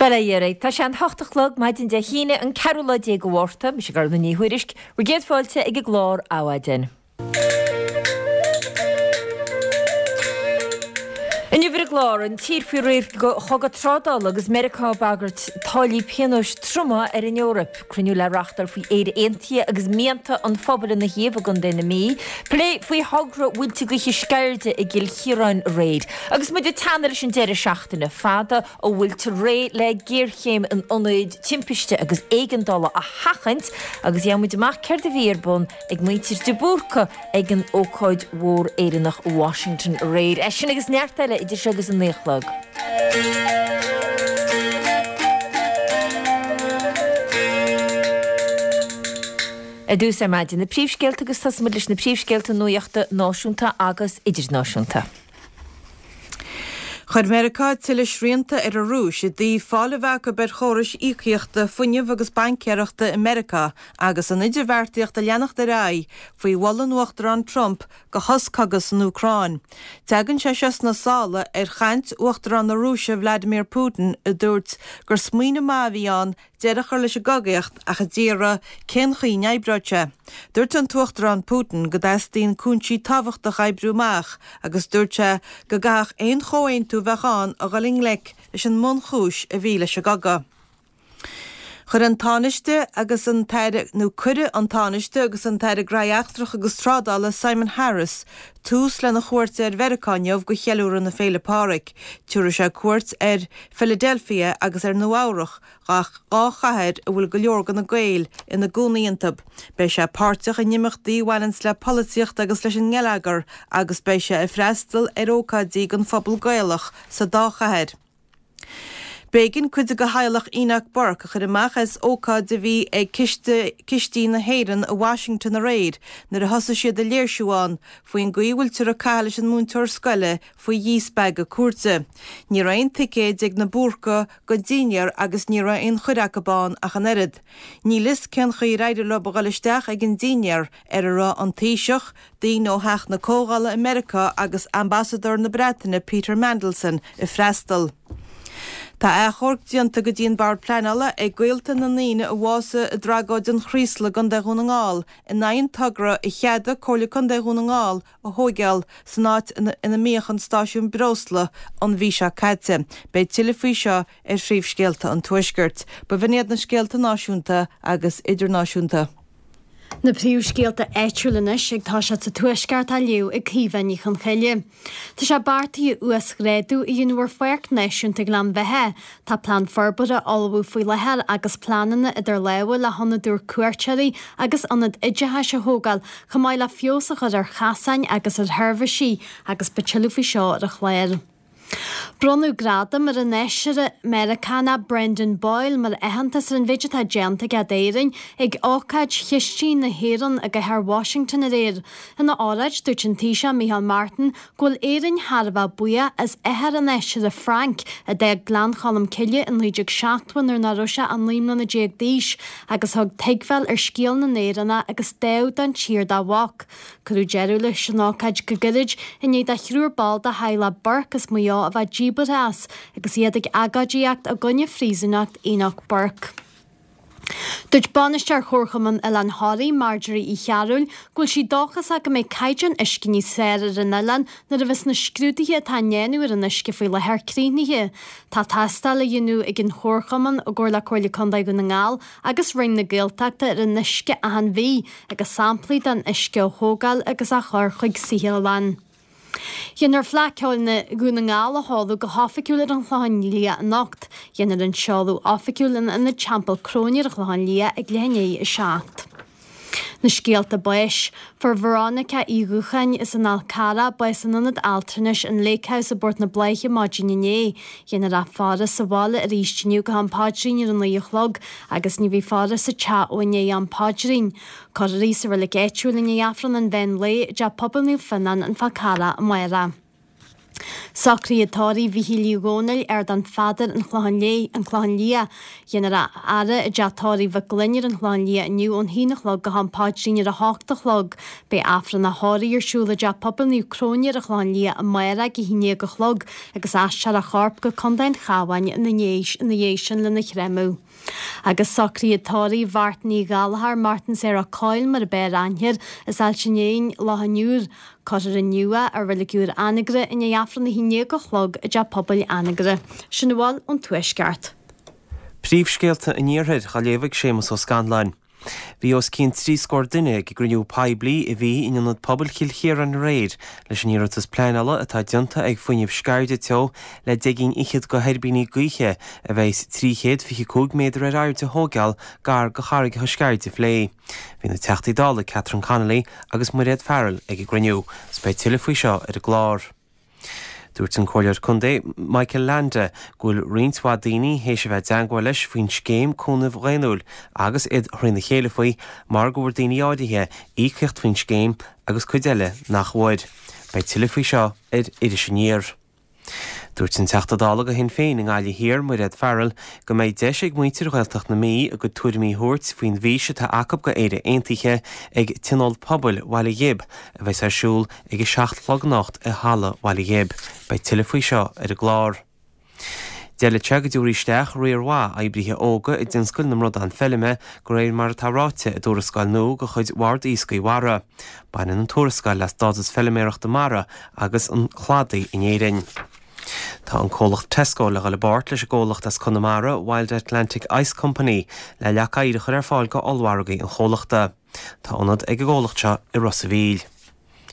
Bail ó Dhia oraibh. Tá sé an hocht a chlog, maidin Dé hAoine, an ceathrú lá déag de Mhárta. Mise Gormfhlaith Ní Thuairisg. Bhur gcéad fáilte ag an gclár Adhmhaidin. Inniu ar an gclár, an tír faoi réir chogadh trádála agus Meiriceá ag bagairt táillí pionóis troma ar an Eoraip. Cruinniú le reáchtáil faoi Éire Aontaithe agus mianta an phobail ina thaobh i gContae na Mí. Plé faoi thogra mhuilte gaoithe Sceirde i gCill Chiaráin aréir. Agus muid ag teannadh leis an deireadh seachtaine fada, an bhfuiltear réidh le géarchéim in ionaid timpiste agus éigeandála a sheachaint agus gheobhaidh muid amach céard a bhí ar bun ag muintir de Búrca ag an ócáid mhór Éireannach i Washington aréir. É sin agus neart eile idir seo agus a 9 a chlog. Ar dtús ar maidin, na príomhscéalta agus tosóidh muid leis na príomhscéalta nuachta náisiúnta agus idirnáisiúnta. Chuir Meiriceá tuilleadh srianta ar an Rúis i dtaobh fáil a bheith acu ar chórais íocaíochta, fuinnimh agus baincéireachta i Meiriceá agus an idirbheartaíocht ag leanacht ar aghaidh faoi mholadh an Uachtaráin Trump do shos cogaidh san Úcráin. Tagann sé seo sna sála ar chaint Uachtarán na Rúise Vladimir Putin a dúirt gur smaoineamh maith a bhí ann deireadh a chur leis an gcogaíocht ach a d'iarraidh cén chaoi a n-oibreodh sé. Dúirt an tUachtarán Putin go dteastaíonn cúinsí tábhachtacha a oibriú amach agus dúirt sé go gcaithfeadh aon chomhaontú a bheadh ann a dhul i ngleic leis an mbunchúis a bhí leis an gcogadh. Chuir an Tánaiste agus an tAire, nó cuirfidh an Tánaiste agus an tAire Gnóthaí Eachtracha agus Trádála Simon Harris tús lena chuairt ar Mheiriceá inniu do cheiliúradh na Féile Pádraig. Tabharfaidh sé cuairt ar Philadelphia agus ar Nua Eabhrach 2 chathair a bhfuil go leor de na Gaeil ina gcónaí iontu. Beidh sé páirteach in imeachtaí a bhaineanns le polaitíocht agus leis an ngeilleagar agus beidh sé ag freastal ar ócáidí don phobal Gaelach sa dá chathair. B'éigean cuid de theaghlach Enoch Burke a chur amach as ócáid a bhí ag Ciste Cistí na hÉireann i Washington aréir nuair a thosaigh siad ag léirsiú ann faoin gcaoi a bhfuiltear ag caitheamh leis an múinteoir scoile faoi dhíspeagadh cúirte. Ní raibh aon ticéid ag na Búrcaigh don dinnéar agus ní raibh aon chuireadh acu ann ach an oiread. Níl fhios cén chaoi ar éirigh leo a dhul isteach ag an dinnéar ar a raibh an Taoiseach, daoine ó Theach na Comhdhála i Meiriceá agus Ambasadóir na Breataine Peter Mandelson ag freastal. Tá achomharc déanta go dtí an Bord Pleanála ag gaolta na ndaoine a bhásaigh i dtragóid an Chraoslaigh i gContae Dhún na nGall in aghaidh an togra a cheadaigh Comhairle Contae Dhún na nGall a thóigeáil san áit ina mbíodh an stáisiún breosla an mhí seo caite. Beidh tuilleadh faoi seo ar phríomhscéalta an Tuaiscirt. B'in iad na scéalta náisiúnta agus idirnáisiúnta. Na príomhscéalta áitiúla anois ag toiseacht sa Tuaisceart á léamh ag Caoimhe Ní Chonchoille. Tá sé beartaithe uasghrádú a dhéanamh ar Pháirc Náisiúnta Ghleann Bheatha. Tá plean forbartha á ullmhú faoi láthair agus pleananna idir lámha le hionad úr cuairteoirí agus ionad oideachais a thógáil chomh maith le feabhas a chur ar chasáin agus ar sheirbhísí agus beidh tuilleadh faoi seo ar an chlár. Bronnadh gradam ar an fheisire Meiriceánach Brendan Boyle mar aitheantas ar an mhéid atá déanta aige d'Éirinn ag ócáid Chistí na hÉireann i gcathair Washington aréir. Ina óráid, dúirt an Taoiseach Micheál Martin go bhfuil Éirinn thar a bheith buíoch as athair an fheisire Frank, a d'fhág Gleann Cholm Cille in 1970 nuair nach raibh sé ach 19 mbliana d'aois agus a thug tuigbheáil ar scéal na nÉireannach agus dáimh don tír dá mhac. Cuireadh deireadh leis an ócáid go gairid i ndiaidh do thriúr ball de theaghlach Burke as Maigh Eo a bheith díbeartha as agus iad ag agóidíocht i gcoinne phríosúnacht Enoch Burke. Dúirt Bainisteoir Chomharchumann Oileán Thoraí, Marjorie Uí Chearúil, go bhfuil sí dóchasach go mbeidh caighdeán uisce níos fearr ar an oileán nuair a bheas na scrúduithe atá á ndéanamh ar an uisce faoi láthair críochnaithe. Tá tástáil á dhéanamh ag an Chomharchumann, i gcomhar le Comhairle Contae Dhún na nGall agus Roinn na Gaeltachta ar an uisce achan mhí agus samplaí den uisce á thógáil agus á chur chuig saotharlann. Déanfar Fleadh Ceoil na Dhún na nGall a sheoladh go hoifigiúil ar an Chlochán Liath anocht. Déanfar an seoladh oifigiúil in Ionad Teampall Cróine ar an Chlochán Liath ag leath i ndiaidh 7. Na scéalta báis. Fuair Veronica Uí Dhúcháin as an Fhál Carrach bás in Ionad Altranais an Lake House i bPort na Bláiche maidin inné. Déanfar í a faire sa bhaile arís inniu go ham paidrín ar a 9 a chlog agus ní bheidh faire sa teach ó i ndiaidh am paidrín. Cuirfear í sa reilig áitiúil i ndiaidh Aifreann an mheán lae i dTeach Pobail Naomh Fionnán, An Fál Carrach, amárach. Socruithe tórraimh Mhíchíl Uí Dhomhnaill, Ardán Pheadair, An Clochán Léith, An Clochán Liath. Déanfar a fhaire i dteach tórraimh Mhic Gloinn ar an Chlochán Liath inniu ón haon a chlog go ham paidrín ar a hocht a chlog. Beidh Aifreann a thórraimh ar siúl i dTeach Pobail Naomh Cróine ar an Chlochán Liath amárach ag a haon dhéag a chlog agus aistreofar a chorp go Contae an Chabháin ina dhiaidh sin lena chreimeadh. Agus socruithe tórraimh Mhartin Uí Ghallchóir, Martin Sarah Coyle mar ab fhearr aithne air, as Ailt an Éin, Loch an Iúir. Cuirfear inniu é i Reilig Iúr Anagaire i ndiaidh Aifreann a haon déag a chlog i dTeach Pobail Anagaire. Sin a bhfuil ón Tuaisceart. Príomhscéalta an Iarthair á léamh ag Séamus Ó Scanláin. Bhí os cionn 30 scór duine ag an gcruinniú poiblí a bhí in Ionad Pobail Chill Chiaráin aréir leis an iarratas pleanála atá déanta ag Fuinneamh Sceirde Teo le deich gcinn fhichead de thuirbíní gaoithe a bheas 325 méadar ar airde a thóigeáil gar do charraigeacha Sceirde a phlé. Bhí na Teachtaí Dála Catherine Connolly agus Mairéad Farrell ag an gcruinniú. Is beidh tuilleadh faoi seo ar an gclár. Dúirt an Comhairleoir Contae Michael Leainde go bhfuil roinnt mhaith daoine théis a bheith i dteangmháil leis faoin scéim cúnaimh dhaonnúil agus iad thrína chéile faoi mar go bhfuair daoine áirithe íocaíocht faoin scéim agus cuid eile nach bhfuair. Beidh tuilleadh faoi seo ar Iris Aniar. Dúirt an Teachta Dála do Shinn Féin i nGaillimh Thiar, Mairéad Farrell, go mbeidh deis ag muintir Ghaeltacht na Mí a gcuid tuairimí a thabhairt faoin bhfís atá acu go Éire Aontaithe ag Tionól Pobail Bhaile Ghib a bheas ar siúl ag a 7 a chlog anocht i Halla Bhaile Ghib. Beidh tuilleadh faoi seo ar an gclár. D'fhéadfadh sé go dtabharfaí isteach riar mhaith oibrithe óga i dtionscal na mbradán feilme, de réir mar atá ráite i dtuarascáil nua de chuid Bhord Iascaigh Mhara. Baineann an tuarascáil le stádas feilméarachta mara agus an chladaigh in Éirinn. Tá an comhlacht Tesco le dhul i bpáirt leis an gcomhlacht as Conamara, Wild Atlantic Ice Company, le leac oighir a chur ar fáil go ollmhargaí an chomhlachta. Tá ionad ag an gcomhlacht seo i Ros a' Mhíl.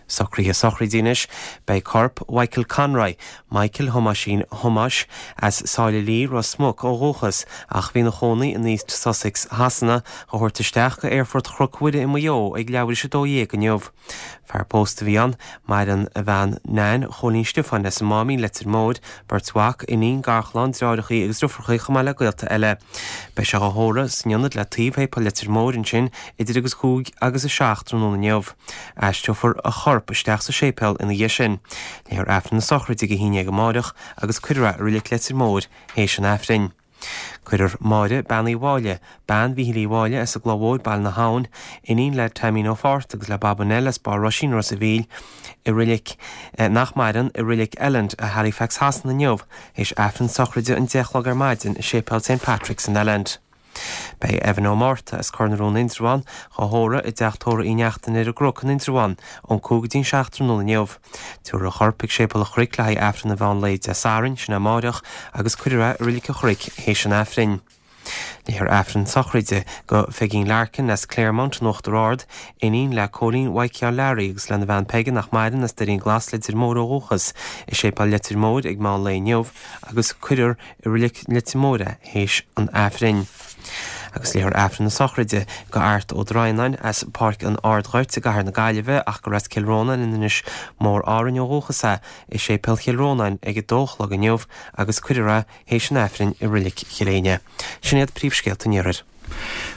Socruithe sochraide anois. Beidh corp Mhichael Conroy, Michael Thomáisín Thomáis, as Sáile Lí, Ros Muc ó dhúchas ach a bhí ina chónaí in East Sussex Shasana, á thabhairt isteach go Aerfort Chnoc Mhuire i Maigh Eo ag leathuair théis 12 inniu. Fear pósta a bhí ann. Maireann a bhean Nan Chóilín Stiofáin as an Máimín, Leitir Móir, beirt mhac, iníon, garchlann, deartháireachaí agus deirfiúrachaí chomh maith le gaolta eile. Beidh sé á thórramh san ionad le taobh Shéipéal Leitir Móir ansin idir agus 5 agus 7 tráthnóna inniu. Aistreofar a chorp isteach sa séipéal ina dhiaidh sin. Léifear Aifreann na sochraide ag a haon dhéag amáireach agus cuirfear é i Reilig Leitir Móir théis an Aifrinn. Cuirfear Máire Bean Uí Mháille, bean Mhíchíl Uí Mháille as an gCloich Mhóir, Baile na hAbhann, iníon le Taimín Ó Fátharta agus le Baba Nell as Barr Roisín, Ros a' Mhíl, i reilig, nach maireann, i Reilig Elland i Halifax Shasana inniu, théis Aifreann sochraide an 10 a chlog ar maidin i Séipéal St Patrick's in Elland. Beidh Evan Ó Márta as Cor na Rón Indreabhán dhá thórramh i dteach tórraimh Uí Neachtain ar an gCnoc in Indreabhán ón 5 go dtí an 7 tráthnóna inniu. Tabharfar a chorp chuig Séipéal an Chnoic le haghaidh Aifreann an mheán lae Dé Sathairn, sin é amáireach, agus cuirfear é i Reilig an Chnoic théis an Aifrinn. Léifear Aifreann sochraide do Pheigín Larkin as Claremont in Uachtar Ard, iníon le Cóilín Mhaidhcí Learaí agus lena bhean Peige nach maireann as Doirín Glas Leitir Móir ó dhúchas, i Séipéal Leitir Móir ag meán lae inniu agus cuirfear i Reilig Leitir Móir é théis an Aifrinn. Agus léifear Aifreann na sochraide do Art Ó Droighneáin as Páirc an Ardghoirt i gCathair na Gaillimhe ach gur as Cill Rónáin in Inis Mór Árainn ó dhúchas é, i Séipéal Chill Rónáin ag 2 a chlog inniu agus cuirfear é théis an Aifrinn i Reilig Chill Éinne. Sin iad príomhscéalta an Iarthair.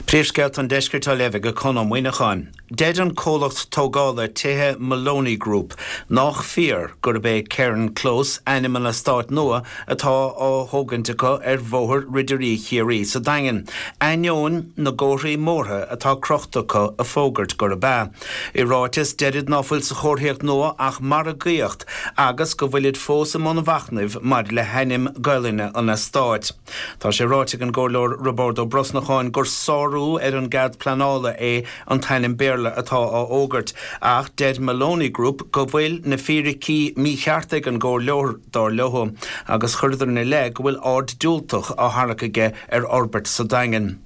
Príomhscéalta an Deiscirt á léamh ag Conn Ó Muíneacháin. Deir an comhlacht tógála tithe Moloney Group nách fíor gurb é Cairn Close ainm an eastáit nua atá á thógaint acu ar Bhóthar Ridirí Chiarraí sa Daingean, ainneoin na gcomharthaí móra atá crochta acu ag fógairt gurb ea. I ráiteas, deirid ná fuil sa chomharthaíocht nua ach margaíocht agus go bhfuilid fós i mbun mhachnaimh maidir le hainm Gaelainne an eastáit. Tá sé ráite ag an gComhairleoir Roibeárd Ó Brosnacháin gur sárú ar an gcead pleanála é an t-ainm Béarla atá á fhógairt, ach deir Moloney Group go bhfuil na fíricí mícheart ag an gcomhairleoir, dar leo, agus chuireadar ina leith go bhfuil aird diúltach á tharrac aige ar fhorbairt sa Daingean.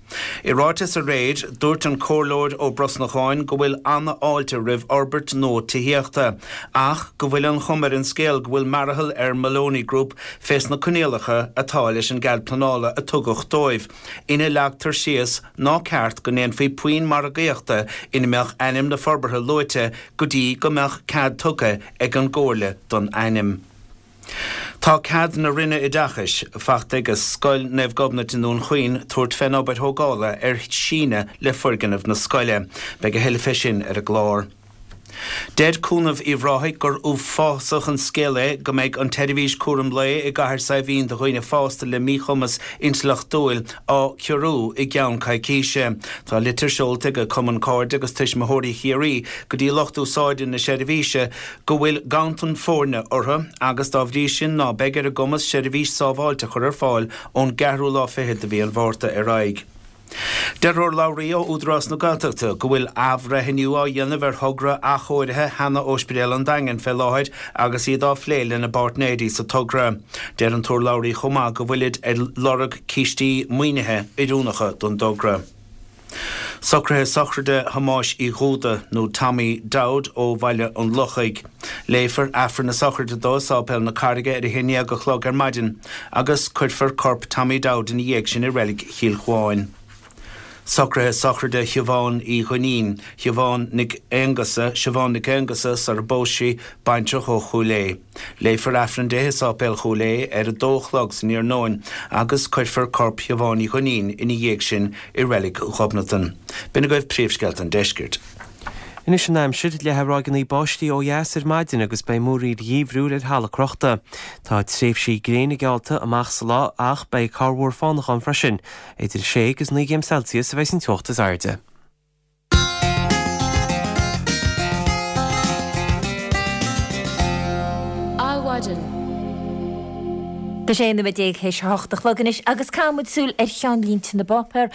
I ráiteas aréir, dúirt an Comhairleoir Ó Brosnacháin go bhfuil an-fháilte roimh fhorbairt nua tithíochta, ach go bhfuil an chuma ar an scéal go bhfuil mearathall ar Moloney Group fés na coinníollacha atá leis an gcead pleanála a tugadh dóibh, ina leagtar síos ná ceart go ndéanfaí puinn margaíochta ina mbeadh ainm na forbartha luaite go dtí go mbeadh cead tugtha ag an gComhairle don ainm. Tá cead na Roinne Oideachais fachta ag Scoil Naomh Gobnait i nDún Chaoin tabhairt fén obair thógála ar shíneadh le foirgneamh na scoile. Beidh a thuilleadh fé sin ar an gclár. Deir Cúnamh Uíbh Ráthaigh gur uafásach an scéal é go mbeidh an tseirbhís cúram lae i gCathair Saidhbhín do dhaoine fásta le míchumas intleachtúil á ciorrú i gceann coicíse. Tá litir seolta ag Cumann Cairde agus Tuismitheoirí Chiarraí go dtí lucht úsáide na seirbhíse go bhfuil ganntan foirne orthu agus dá bhrí sin ná beidh ar a gcumas seirbhís sábháilte a chur ar fáil ón gceathrú lá fichead de mhí an Mhárta ar aghaidh. Deir urlabhraí ó Údarás na Gaeltachta go bhfuil athbhreithniú á dhéanamh ar thogra athchóirithe sheana-Ospidéal an Daingin fé láthair agus iad á phlé lena bpáirtnéirí sa togra. Deir an t-urlabhraí chomh maith go bhfuilid ag lorg cistí maoinithe oiriúnacha don dtogra. Socruithe sochraide Thomáis Uí Dhúda, nó Tommy Dowd ó Bhaile an Lochaigh. Léifear Aifreann na sochraide dó i Sáipéal na Carraige ar a 11 a chlog ar maidin agus cuirfear corp Tommy Dowd ina dhiaidh sin i Reilig Chill Chuáin. Socruithe sochraide Shiobhán Uí Dhuinnín, Siobhán Nic Aonghusa, Siobhán Nic Aonghusa sar a bpós sí, baintreach ó Chúil Aodha. Léifear Aifreann di i Sáipéal Chúil Aodha ar a dó a chlog san iarnóin agus cuirfear corp Shiobhán Uí Dhuinnín ina dhiaidh sin i Reilig Ghobnatan. B'in agaibh príomhscéalta an deiscirt. Anois an aimsir, leathfaidh ráigeanna báistí ó dheas ar maidin agus beidh múraíl gheimhriúil ar thalamh crochta. Tá tréimhsí gréine geallta amach sa lá ach beidh corrmhúr fánach ann freisin. Idir 6 agus 9 gcéim Celsius a bheidh an teocht is airde. Adhmhaidin. Tá sé 11 nóiméad théis a hocht a chlog anois agus caithfidh muid súil ar cheannlínte na bpáipéar.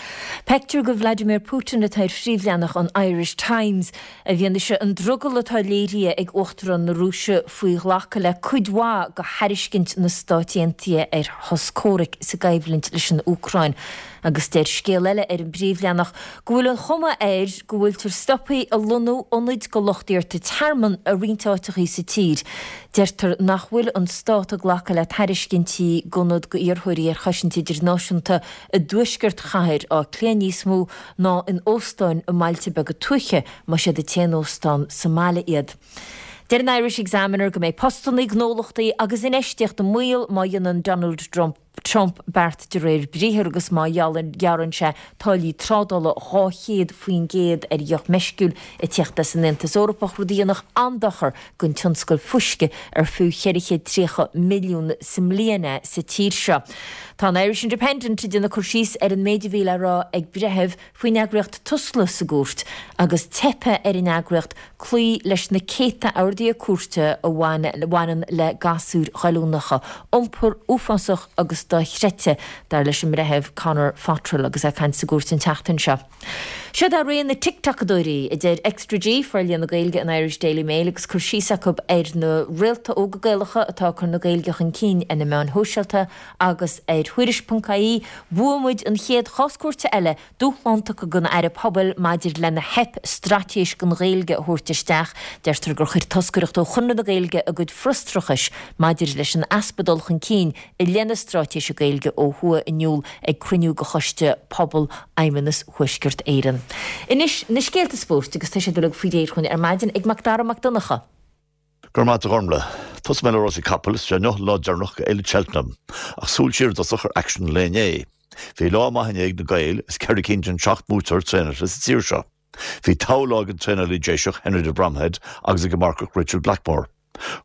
Pictiúr de Vladimir Putin atá ar phríomhleathanach an Irish Times. I bhfianaise an drogall atá léirithe ag Uachtarán na Rúise faoi ghlacadh le cuid mhaith de thairiscint na Stát Aontaithe ar shos comhraic sa gcoimhlint leis an Úcráin. Agus deir scéal eile ar an bpríomhleathanach go bhfuil an chuma air go bhfuiltear stoptha ag lonnú ionaid do lucht iarrta tearmann i roinnt áiteachaí sa tír. Deirtear nach bhfuil an stát ag glacadh le tairiscintí d'ionad d'iarrthóirí ar chosaint idirnáisiúnta i dtuaisceart chathair Átha Cliath níos mó ná in óstáin i mbailte beaga tuaithe, más iad an t-aon óstán sa mbaile iad. Deir an Irish Examiner go mbeidh postannaí, gnólachtaí agus infheistíocht i mbaol má dhéanann Donald Trump beart de réir briathair agus má ghearrann sé táillí trádála 200% ar dheoch meisciúil ag tíocht as an Aontas Eorpach, rud a dhéanfadh an-dochar don tionscal fuisce ar fiú 430 milliún sa mbliain é sa tír seo. Tá an Irish Independent ag déanamh cur síos ar an méid a bhí le rá ag breitheamh faoin eagraíocht Tusla sa gcúirt agus teipthe ar an eagraíocht cloí leis na céadta orduithe cúirte a bhaineann le gasúir ghoilliúnacha, iompar uafásach agus dochreidte, dar leis an mBreitheamh Conor Fottrell agus é ag caint sa gcúirt an tseachtain seo. Seod é ré na TikTokadóirí, a deir Extra G, forlíonadh Gaeilge an Irish Daily Mail agus cur síos acu ar na réalta óga Gaelacha atá ag cur na Gaeilge chun cinn ar na meáin shóisialta agus ar Thuairisc.ie, Bhuaigh muid an chéad chás cúirte eile, dúshlán tugtha don Aire Pobal maidir lena theip straitéis don Ghaeilge a thabhairt isteach. Deirtear gur chuir toscaireacht ó Chonradh na Gaeilge a gcuid frustrachais maidir leis an easpa dul chun cinn i leith na straitéise Gaeilge ó thuaidh in iúl ag cruinniú de Choiste Pobal Fheidhmeannas Thuaisceart Éireann. Anois, na scéalta spóirt agus tá siad uilig faoi réir chugainn ar maidin ag Macdara Mac Donncha. Go raibh maith agat a Ghormlaith. Tosóidh mé le rásaí capall, is é inniu an lá deireanach de Fhéile Cheltenham, ach súil siar i dtosach ar aicsean an lae inné. Bhí lá maith inné ag na Gaeil, is ceithre cinn den seacht mbuaiteoir traenailte sa tír seo. Bhí togha lá ag an traenálaí Déiseach Henry de Bromhead agus ag an marcach Richard Blackmore.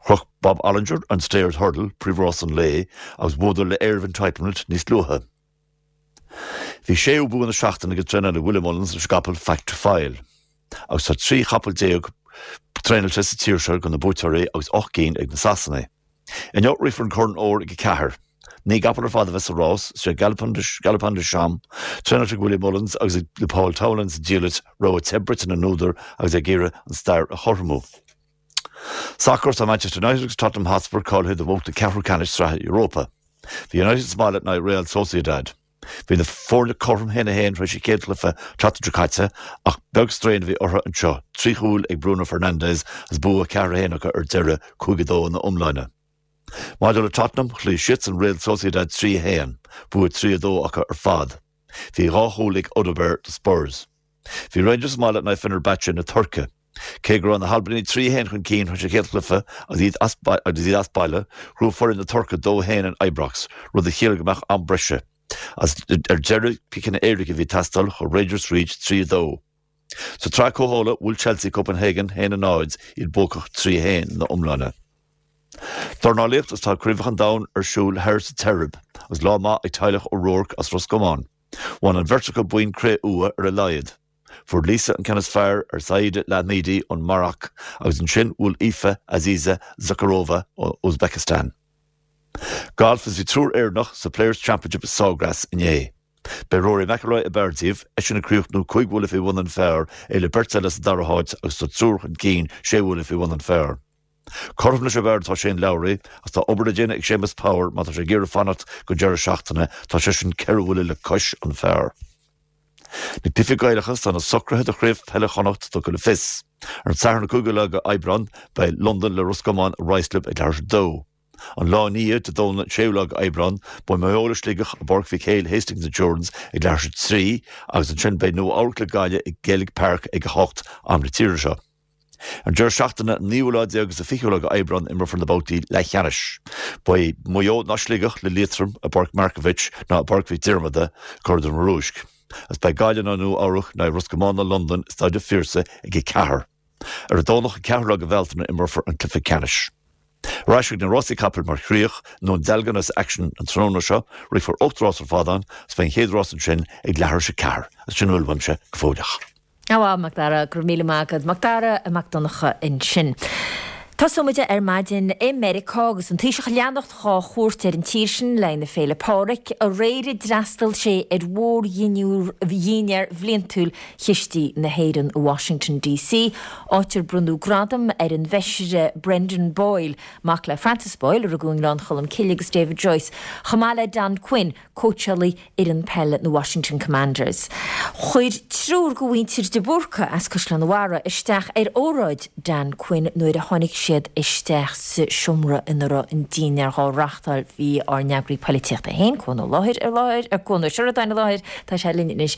Chroch Bob Olinger an Stayers Hurdle, príomhrás an lae, agus bhuadar le Air of Entitlement níos luaithe. Bhí séú bua na seachtaine ag an traenálaí Willie Mullins leis an gcapall Fact To File. Agus tá 13 chapall traenailte sa tír seo do na buaiteoirí agus 8 gcinn ag na Sasanaigh. Inniu rithfear an Corn Óir ag 4. 9 gcapall ar fad a bheas sa rás, is é Galopin Des Champs, traenailte ag Willie Mullins agus ag Paul Townend sa diallait, rogha te bruite na n-údar agus é ag iarraidh an stair a chothromú. Sacar, Tá Manchester United agus Tottenham Hotspur cáilithe do bhabhta ceathrú ceannais Sraithe Europa. Bhí United sa mbaile in aghaidh Real Sociedad. Bhí na foirne cothrom 1-1 tar éis an chéad chluiche an tseachtain seo caite ach beag straidhn a bhí orthu anseo, trí chúl ag Bruno Fernandes agus bua 4-1 acu ar deireadh, 5-2 ina iomláine. Maidir le Tottenham, chloígh siadsan Real Sociedad 3-1, bua 3-2 acu ar fad. Bhí dhá chúl ag Odobert do Spurs. Bhí Rangers sa mbaile in aghaidh Fenerbahce na Tuirce. Cé go raibh na hAlbanaigh 3-1 chun cinn tar éis an chéad chluiche agus iad as baile, ghnóthaigh foireann na Tuirce 2-1 in Ibrox, rud a chiallaigh go mbeadh am breise. Agus ar deireadh, ciceanna éirice a bhí ag teastáil, chuaigh Rangers thríd 3-2. Sa tsraith comhdhála, bhuail Chelsea Copenhagen 1-0, iad buacach 3-1 ina iomláine. Dornálaíocht Is tá Craobhacha an Domhain ar siúl thoir sa tSeirbia agus lá maith ag teaghlach O'Rourke as Ros Comáin. Bhain an bheirt acu boinn cré-umha ar a laghad. Fuair Lisa an ceann is fearr ar Saida Lahmidi ón Maroc agus ansin bhuail Aoife Aziza Zakirova ó Uzbekistan. Galf Is bhí triúr Éireannach sa Players Championship i Sawgrass inné. B'é Rory McIlroy ab fhearr díobh, eisean ag críochnú cúig bhuille faoi bhun an phar, é le beirt eile sa dara háit agus tá triúr chun cinn sé bhuille faoi bhun an phar. Cothrom leis ab fhearr atá Shane Lowry ach tá obair le déanamh ag Séamus Power má tá sé ag iarraidh fanacht go deireadh seachtaine, tá seisean ceithre bhuille le cois an phar. Na cluichí Gaelacha, tá na socruithe do Chraobh Peile Chonnacht tugtha le fios. Ar an Satharn an 5ú lá de Aibreán, beidh Londain le Ros Comáin i Ruislip ag leathuair tar éis a dó. An lá ina dhiaidh, Dé Domhnaigh an 6ú lá de Aibreán, beidh Maigh Eo le Sligeach i bPáirc Mhic Éil, Hastings Insurance, ag leathuair tar éis a trí agus ansin beidh Nua Eabhrac le Gaillimh i Gaelic Park ag 8, am na tíre seo. Ar an deireadh seachtaine, an naoú lá déag agus an fichiú lá de Aibreán, imreofar na babhtaí leathcheannais. Beidh Maigh Eo ná Sligeach le Liatroim i bPáirc Markievicz ná i bPáirc Mhic Diarmada, Cora Dún Rúisc. Agus beidh Gaillimh ná Nua Eabhrac ná Ros Comáin ná Londain i Staid an Phiarsaigh ag 4. Ar an Domhnach an ceathrú lá de Bhealtaine imreofar an cluiche ceannais. Ar ais chuig na rásaí capaill mar chríoch, i nDún Dealgan agus aicsean an tráthnóna seo, rithfear 8 rás ar fad ann agus beidh an chéad rás ansin ag leathuair tar éis a ceathair. Agus sin a bhfuil uaimse go fóilleach. Á, Macdara, go raibh míle maith agat. Macdara Mac Donncha ansin. Tosóidh muid ar maidin i Meiriceá agus an Taoiseach ag leanacht dhá chuairt ar an tír sin le haghaidh na Féile Pádraig. Aréir d'fhreastail sé ar mhórdhinnéar bhliantúil Chistí na hÉireann i Washington DC, áit ar bronnadh gradam ar an bhFeisire Brendan Boyle, mac le Francis Boyle, a rugadh i nGleann Cholm Cille, agus David Joyce, chomh maith le Don Quinn, cóitseálaí fhoireann peile na Washington Commanders. Chuir triúr de mhuintir de Búrca as Caisleán an Bharraigh isteach ar óráid Dan Quinn nuair a tháinig siad isteach sa seomra ina raibh an dinnéar dhá reáchtáil. Bhí ár n-eagraí poilitíochta féin, Cuan Ó Láthair, i láthair, Cuan Ó Seireadáin i láthair, tá sé linn anois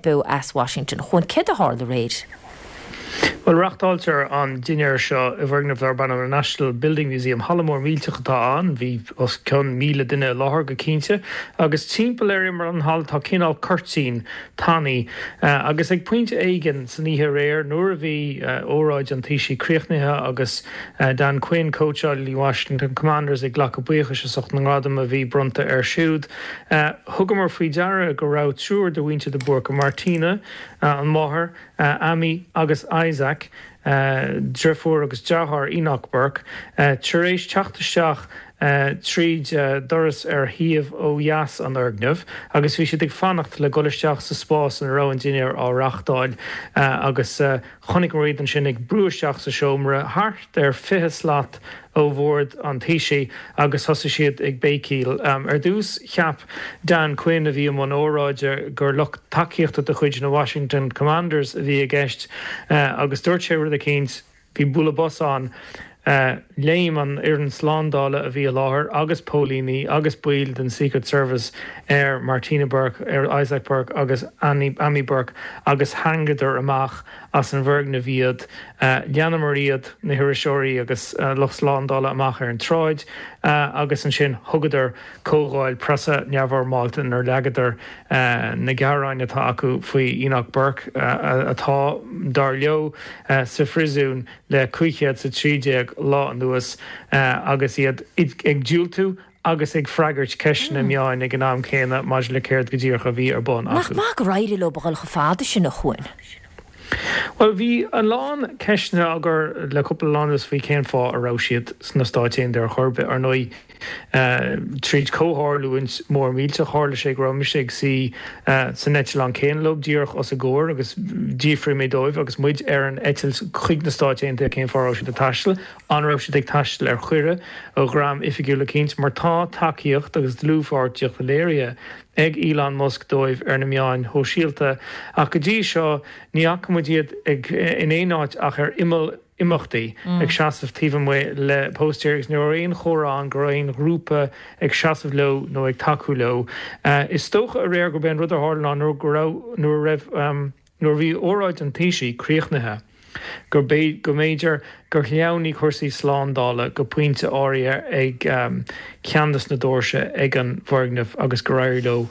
beo as Washington. Chuan, céard a tharla aréir? Bhuel, reáchtáiltear an dinnéar seo i bhfoirgneamh darb ainm an National Building Museum. Halla mór millteach atá ann. Bhí os cionn 1,000 duine i láthair go cinnte. Agus timpeall ar imeall an halla tá cineál cuirtín tanaí. Agus ag pointe éigin san oíche aréir, nuair a bhí óráid an Taoisigh críochnaithe agus Dan Quinn, cóitseálaí Washington Commanders, ag glacadh buíochais as ucht na ngradam a bhí bronnta air siúd, thugamar faoi deara go raibh triúr de mhuintir de Búrca, Martina, an mháthair, Amy agus Isaac, deirfiúr agus deartháir Enoch Burke, tar éis teacht isteach tríd doras ar thaobh ó dheas an fhoirgnimh agus bhí siad ag fanacht le dul isteach sa spás ina raibh an dinnéar á reáchtáil agus chonaiceamar iad ansin ag brú isteach sa seomra thart ar 20 slat ó bhord an Taoisigh agus thosaigh siad ag béicíl. Ar dtús, cheap Dan Quinn, a bhí i mbun óráide, gur lucht tacaíochta de chuid na Washington Commanders a bhí i gceist agus dúirt sé rud eicínt, bhí bualadh bos ann, léim an fhoireann slándála a bhí i láthair agus póilíní agus baill den Secret Service ar Martina Burke, ar Isaac Burke agus Amy Burke agus tharraingeadar amach as an bhfoirgneamh iad. Leanamar iad, na hiriseoirí agus lucht slándála, amach ar an tsráid agus ansin thugadar comhdháil preasa neamhfhoirmeálta inar leagadar na gearáin atá acu faoi Enoch Burke atá, dar leo, sa phríosún le 513 lá anuas agus iad ag diúltú agus ag freagairt ceisteanna meáin ag an am céanna maidir le céard go díreach a bhí ar bun Nach acu. maith gur éirigh leo a dhul chomh fada sin, a Chuain? Bhuel, bhí a lán ceisteanna á gcur le cúpla lá anuas faoi cén fáth a raibh siad sna Stáit Aontaithe ar chor ar bith. Ar ndóigh, tríd comhtharlúint mór millteach, tharla sé go raibh mise ag suí san eitleán céanna leo, díreach os a gcomhair, agus d'fhiafraigh mé dóibh agus muid ar an eitilt chuig na Stáit Aontaithe cén fáth a raibh siad ag taisteal. An raibh siad ag taisteal ar chuireadh ó dhream oifigiúil eicínt? Mar tá tacaíocht agus dlúthpháirtíocht léirithe ag Elon Musk dóibh ar na meáin shóisialta, ach go dtí seo ní fhaca muid iad ag in aon áit ach ar imeall imeachtaí, ag seasamh taobh amuigh le póstaeir agus ní raibh aon chomhartha ann go raibh aon ghrúpa ag seasamh leo nó ag tacú leo. Is dócha aréir gurb é an rud a tharla ná nuair go raibh nuair a raibh Nuair a bhí óráid an Taoisigh críochnaithe, go go mb'fhéidir gur shleamhnaigh cúrsaí slándála go pointe áirithe ag ceann de na doirse ag an bhfoirgneamh agus gur éirigh leo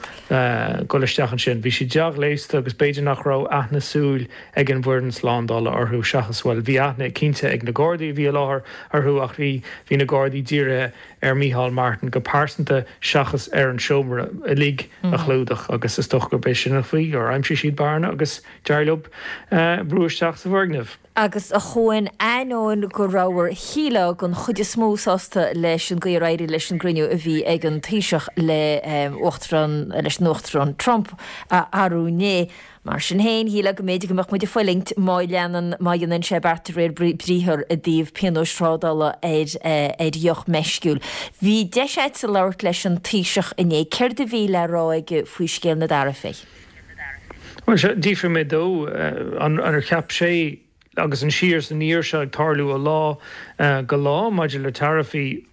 dul isteach ansin. Bhí siad dea-ghléasta agus b'fhéidir nach raibh aithne súil ag an bhfoireann slándála orthu seachas, bhuel, bhí aithne cinnte ag na Gardaí a bhí i láthair orthu ach bhí, bhí na Gardaí dírithe ar Micheál Martin go pearsanta seachas ar an seomra uilig a chlúdach agus is dócha gurb é sin an chaoi gur aimsigh siad bearna agus d'éirigh leo brú isteach sa bhfoirgneamh. Agus a Chuain, ainneoin go rabhthar, shílfeá, den chuid is mó sásta leis an gcaoi ar éirigh leis an gcruinniú a bhí ag an Taoiseach le hUachtarán, leis an Uachtarán Trump arú inné, Mar sin féin, shílfeá go mb'fhéidir go mbeadh muid ag fulaingt má leanann, má dhéanann sé beart de réir briathar i dtaobh pionóis thrádála ar ar dheoch meisciúil. Bhí deis agatsa labhairt leis an Taoiseach inné. Céard a bhí le rá aige faoi scéal na dtaraifí? Bhuel, sea, d'fhiafraigh mé dó an ar cheap sé agus an siar is aniar seo ag tarlú ó lá go lá maidir le taraifí,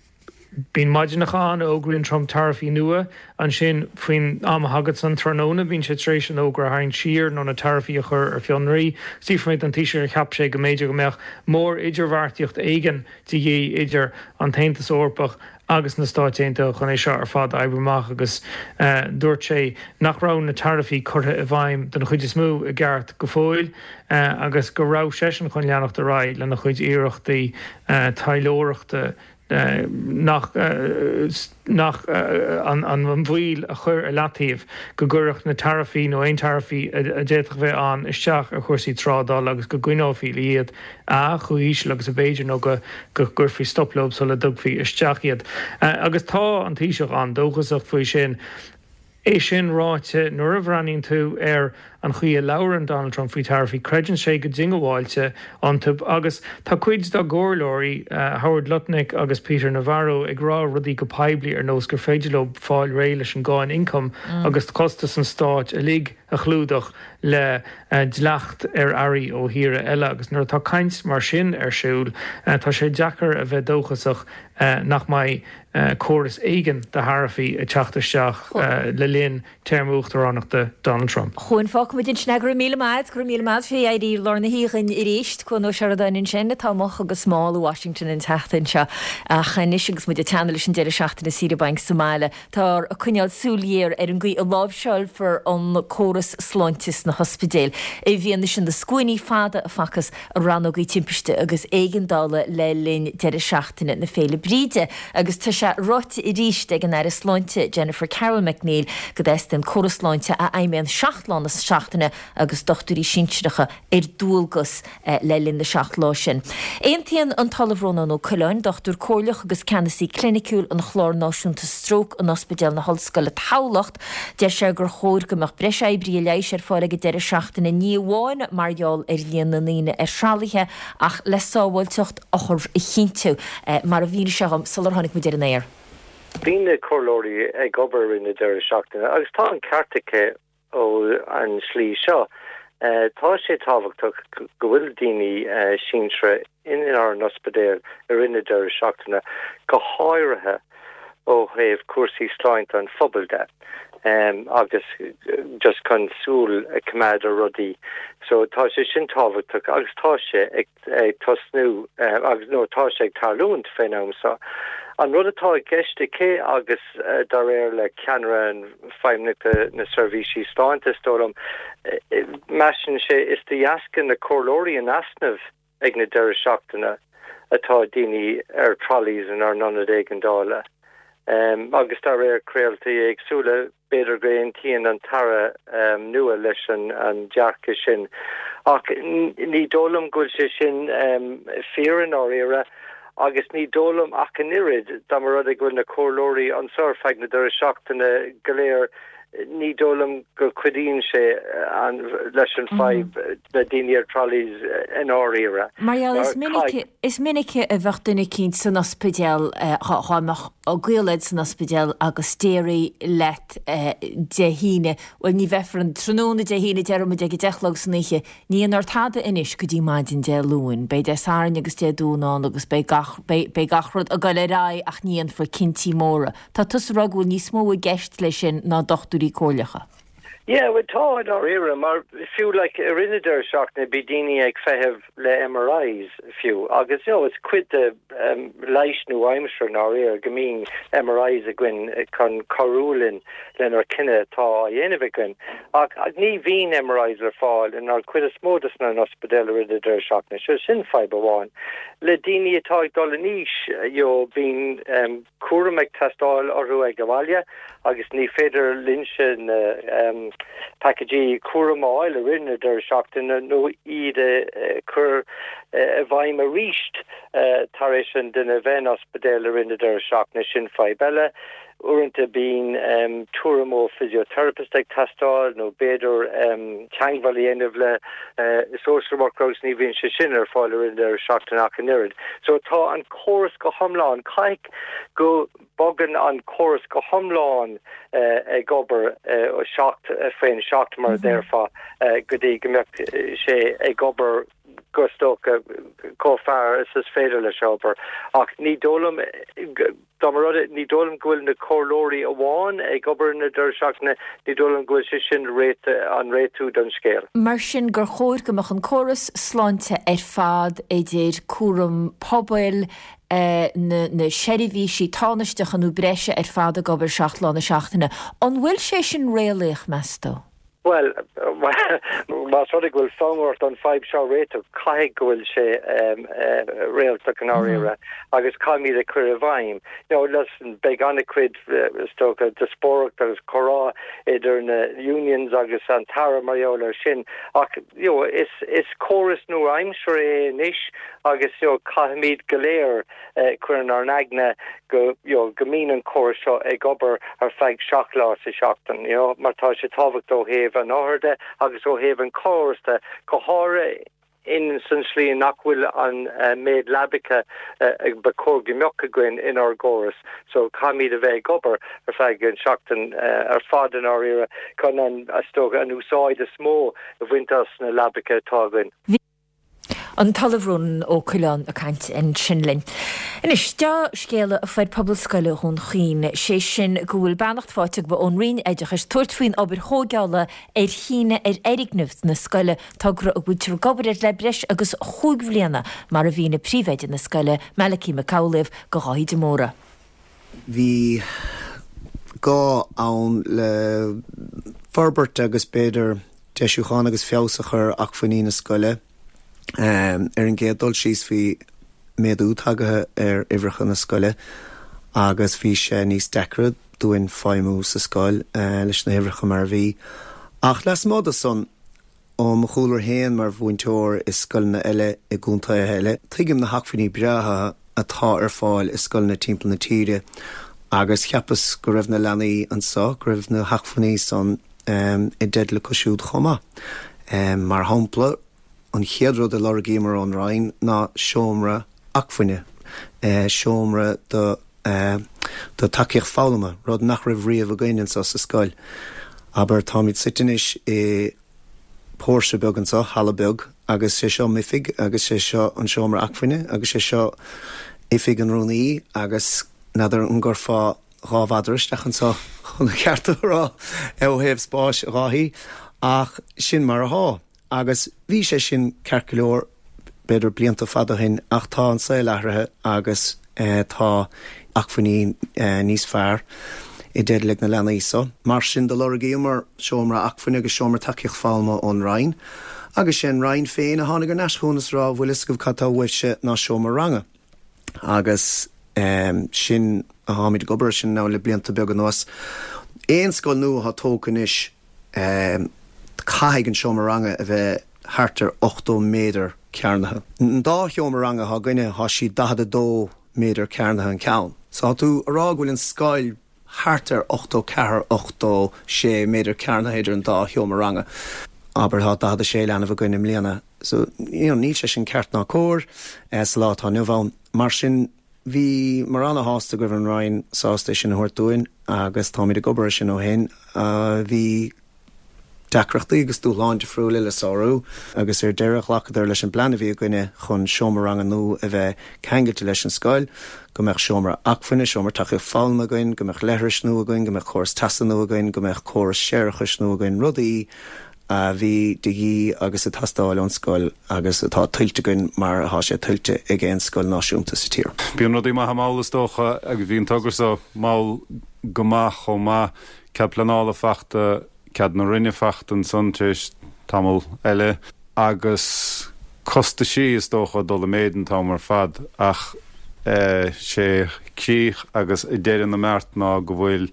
Bíonn maidineacha ann a fhógraíonn Trump taraifí nua. Ansin, faoin am a thaganns an tráthnóna, bíonn sé tar éis an fhógra a tharraingt siar nó na taraifí a chur ar fionraí. D'fhiafraigh mé den Taoiseach ar cheap sé go mb'fhéidir go mbeadh mór-idirbheartaíocht éigin de dhíth idir an tAontas Eorpach agus na Stáit Aontaithe chun é seo ar fad a oibriú amach agus dúirt sé nach raibh na taraifí curtha i bhfeidhm den chuid is mó i gceart go fóill agus go raibh seisean chun leanacht ar aghaidh lena chuid iarrachtaí taidhleoireachta nach nach an mhoill a chur ar leataobh, go gcuirfeadh na taraifí nó aon taraifí a d'fhéadfadh bheith ann isteach ar chúrsaí trádála agus go gcoinneofaí iad a chomh híseal agus ab fhéidir nó go gcuirfí stop leo sula dtugfaí isteach iad. Agus tá an Taoiseach an-dóchasach faoi sin. É sin ráite, nuair a bhreathnaíonn tú ar an chaoi a labhrann Donald Trump faoi taraifí, creideann sé go diongbháilte iontu agus tá cuid dá gcomhairleoirí, Howard Lutnick agus Peter Navarro, ag rá rudaí go poiblí ar nós gur féidir leo fáil réidh leis an gcáin ioncaim agus costas an stáit uilig a chlúdach le dleacht ar earraí ó thíortha eile agus nuair atá caint mar sin ar siúl, tá sé deacair a bheith dóchasach nach mbeidh córas éigin de tharaifí ag teacht isteach le linn téarma uachtaránachta Donald Trump. A Chuain, fágfaimid ansin é. Go raibh míle maith agat, go raibh míle maith agat fé éirí i lár na hoíche dhuinn arís. Cuan Ó Seireadáin ansin atá amuigh agus mall i Washington an tseachtain seo. Ach anois agus muid ag teannadh leis an deireadh seachtaine saoire bainc sa mbaile, táthar ag coinneáil súil ghéar ar an gcaoi a láimhseálfar an córas sláinte sna hospidéil i bhfianaise na scuainí fada a facthas i rannógaí timpiste agus éigeandála le linn deireadh seachtaine na Féile Bríde agus tá sé ráite arís ag an Aire Sláinte Jennifer Carroll MacNeill go dteastaíonn córas sláinte a fheidhmíonn 7 lá na seachtaine agus dochtúirí sinsearacha ar dualgas le linn na seacht lá sin. Aontaíonn an tOllamh Rónán Ó Coileáin, dochtúir comhairleach agus ceannasaí cliniciúil an Chláir Náisiúnta Stróc in Ospidéal na hOllscoile Tamhlacht, Deir sé gur chóir go mbeadh breis oibrithe leighis ar fáil ag an deireadh seachtaine, ní amháin mar gheall ar líon na ndaoine ar thralaithe ach le sábháilteacht othar a chinntiú, mar a mhínigh sé dhom sular tháinig muid ar an aer. Bíonn na comhairleoirí ag obair i rith na deireadh seachtaine agus tá an ceart aici ó an slí seo. Tá sé tábhachtach go bhfuil daoine sinsearacha inár n-ospidéil i rith na deireadh seachtaine, go háirithe ó thaobh cúrsaí sláinte an phobail de agus just chun súil a choimeád ar rudaí. So tá sé sin tábhachtach agus tá sé ag ag tosnú agus nó tá sé ag tarlúint fén am seo. An rud atá i gceist aici agus dá réir le ceannaire feidhmeannachta na seirbhísí sláinte is dóigh liom, measann sé is de dheasca na comhairleoirí in easnamh ag na deireadh seachtaine atá daoine ar trolleys inár n-ionad éigeandála. Agus dá réir craoltaí éagsúla, B'fhéidir go aontaíonn an tAire nua leis an dearcadh sin, ach ní dóigh liom go bhfuil sé sin fíor i ndáiríre, agus ní dóigh liom ach an oiread, dá mba rud é go bhfuil na comhairleoirí anseo ar feadh na deireadh seachtaine go léir, ní dóigh liom go cuidíonn sé leis an fadhb le daoine ar trolleys i ndáiríre. Mar gheall, is minic, is minic a bheadh duine eicínt san ospidéal, dhá mbeadh gaol agat san ospidéal agus déarfaí leat Dé hAoine, bhuel ní bheifear ann tráthnóna Dé hAoine, déarfaidh muid ag a deich a chlog san oíche, ní dhéanfar tada anois go dtí maidin Dé Luain, beidh Dé Sathairn agus Dé Domhnaigh ann agus beidh gach, beidh, beidh gach rud ag dul ar aghaidh ach ní dhéanfar cinntí móra. Tá tusa ag rá go bhfuil níos mó i gceist leis sin ná dochtúirí comhairleacha. Yeah, bhuel tá i ndáiríre, mar fiú like i rith na deireadh seachtaine bhí daoine ag feitheamh le MRIs fiú agus you know is cuid de leighis nua-aimseartha i ndáiríre go mbíonn MRIs againn chun cabhrú linn lenár cinneadh atá á dhéanamh againn. Ach ní bhíonn MRIs le fáil inár cuid is mó de sna n-ospidéil i rith na deireadh seachtaine, so sin fadhb amháin. Le daoine atá ag dul in aois you know bíonn cúram ag teastáil orthu ag an bhaile agus ní féidir linnse na pacáistí cúraim a fháil i rith na deireadh seachtaine nó iad a chur i bhfeidhm arís tar éis an duine a bheith in ospidéal i rith na deireadh seachtaine. Sin fadhb eile. Uaireanta bíonn tuairim ó physiotherapist ag teastáil nó b'fhéidir teagmháil a dhéanamh le social worker agus ní bhíonn sé sin ar fáil i rith na deireadh seachtaine ach an oiread. So tá an córas go hiomlán, caithfidh go mbogann an córas go hiomlán ag obair 7 faoin 7 mar a déarfá go dtí go mbeadh sé ag obair go is dócha chomh fearr is is féidir leis a obair. Ach ní dóigh liom Dá mba rud é, ní dóigh liom go bhfuil na comhairleoirí amháin ag obair na deireadh seachtaine, ní dóigh liom go bhfuil sé sin an réitiú don scéal. Mar sin gur chóir go mbeadh an córas sláinte ar fad, idir cúram pobail, na seirbhísí tánaisteacha nó breise ar fad ag obair 7 lá na seachtaine. An bhfuil sé sin réalaíoch, meas tú? Bhuel, más rud é go bhfuil fonn ort an fadhb seo a réiteach, caithfidh go bhfuil sé réaltach i ndáiríre agus caithfimid é a chur i bhfeidhm. You know, listen, beidh an-chuid, is dócha, díospóireacht agus comhrá idir na unions agus an tAire mar gheall air sin ach, you know, is, is córas nua-aimseartha é anois agus, you know, caithfimid go léir, cur inár n-aigne go, you know, go mbíonn an córas seo ag obair ar feadh 7 lá sa seachtain, you know, mar tá sé tábhachtach ó thaobh an othair de agus ó thaobh an chórais de, go háirithe in san slí nach bhfuil an méid leabacha ba chóir go mbeadh againn inár gcóras. So caithfimid a bheith ag obair ar feadh an seachtain ar fad i ndáiríre chun an, is dócha, an úsáid is mó a bhaint as na leabacha atá againn. An tOllamh Rónán Ó Coileáin ag caint ansin linn. Anois, dea-scéala a fuair pobal scoile Dhún Chaoin, sé sin go bhfuil beannacht faighte acu ón Roinn Oideachais tabhairt faoin obair thóigeála ar shíneadh ar fhoirgneamh na scoile, togra a bhfuiltear ag obair air le breis agus chúig bhliana, mar a mhínigh príomhoide na scoile, Malachy Mac Amhlaoibh, do Dháithí de Mórdha. Bhí gá ann le forbairt agus b'fhéidir deisiúchán agus feabhas a chur ar acmhainní na scoile. Ar an gcéad dul síos bhí méadú tagaithe ar uimhreacha na scoile agus bhí sé níos deacra dúinn feidhmiú sa scoil leis na huimhreacha mar a bhí. Ach lasmuigh de san, Ó mo chúlra féin mar mhúinteoir i scoileanna eile i gcontaetha eile, tuigim na hacmhainní breátha atá ar fáil i scoileanna timpeall na tíre agus cheapas go raibh na leanaí anso, go raibh na hacmhainní san i dteideal acu siúd chomh maith. Mar shampla, an chéad rud a lorgaíomar ón Roinn ná seomra acmhainne, seomra do do tacaíocht foghlama, rud nach raibh riamh againn anso sa scoil. Abair, táimid suite anois i póirse beag anso, halla beag, agus sé seo m'oifig agus sé seo an seomra acmhainne agus sé seo oifig an rúnaí agus n'fheadar an gcuirfeá dhá mhadra isteach anso chun an ceart a rá ó thaobh spáis, a Dháithí, ach sin mar athá. Agus bhí sé sin ceart go leor, b'fhéidir blianta fada ó shin, ach tá an saol athraithe agus tá acmhainní níos fearr i dteideal ag na leanaí so. Mar sin do lorgaíomar seomra acmhainne agus seomra tacaíocht foghlama ón Roinn agus sé an Roinn féin a tháinig ar n-ais chugainn is a rá bhfuil fhios agaibh cad tá uaibhse ná seomra ranga. Agus sin a tháimid ag obair air sin now le blianta beaga anuas. Aon scoil nua atá tógtha anois, Caithfidh an seomra ranga a bheith thart ar 80 méadar cearnaithe. An dá sheomra ranga atá againne, tá siad 42 méadar cearnaithe an ceann. So tá tú a rá go bhfuil an scoil thart ar 84, 86 méadar cearnaithe idir an dá sheomra ranga. Abair tá 46 leanbh againn i mbliana. So, you know, níl sé sin ceart ná cóir sa lá atá inniu ann. Mar sin. Bhíomar ana-shásta go raibh an Roinn sásta é sin a thabhairt dúinn agus táimid ag obair air sin ó shin. Bhí. deacrachtaí agus dúshláin difriúla le sárú agus ar deireadh ghlacadar leis an bplean a bhí againne chun seomra ranga nua a bheith ceangailte leis an scoil, go mbeadh seomra acmhainne, seomra tacaíocht foghlama againn, go mbeadh leithris nua againn, go mbeadh córas teasa nua againn, go mbeadh córas séarachais nua againn, rudaí a bhí de dhíth agus ag teastáil ón scoil agus atá tuillte againn mar atá sé tuillte ag aon scoil náisiúnta sa tír. Bíonn rudaí maithe mall is dócha agus bhí an togra seo mall go maith chomh maith. Cead pleanála fachta, cead na Roinne fachta ansan tar éis tamall eile agus costaisí is dócha ag dul i méid an t-am ar fad ach sé críoch agus deireadh na mbeart ná go bhfuil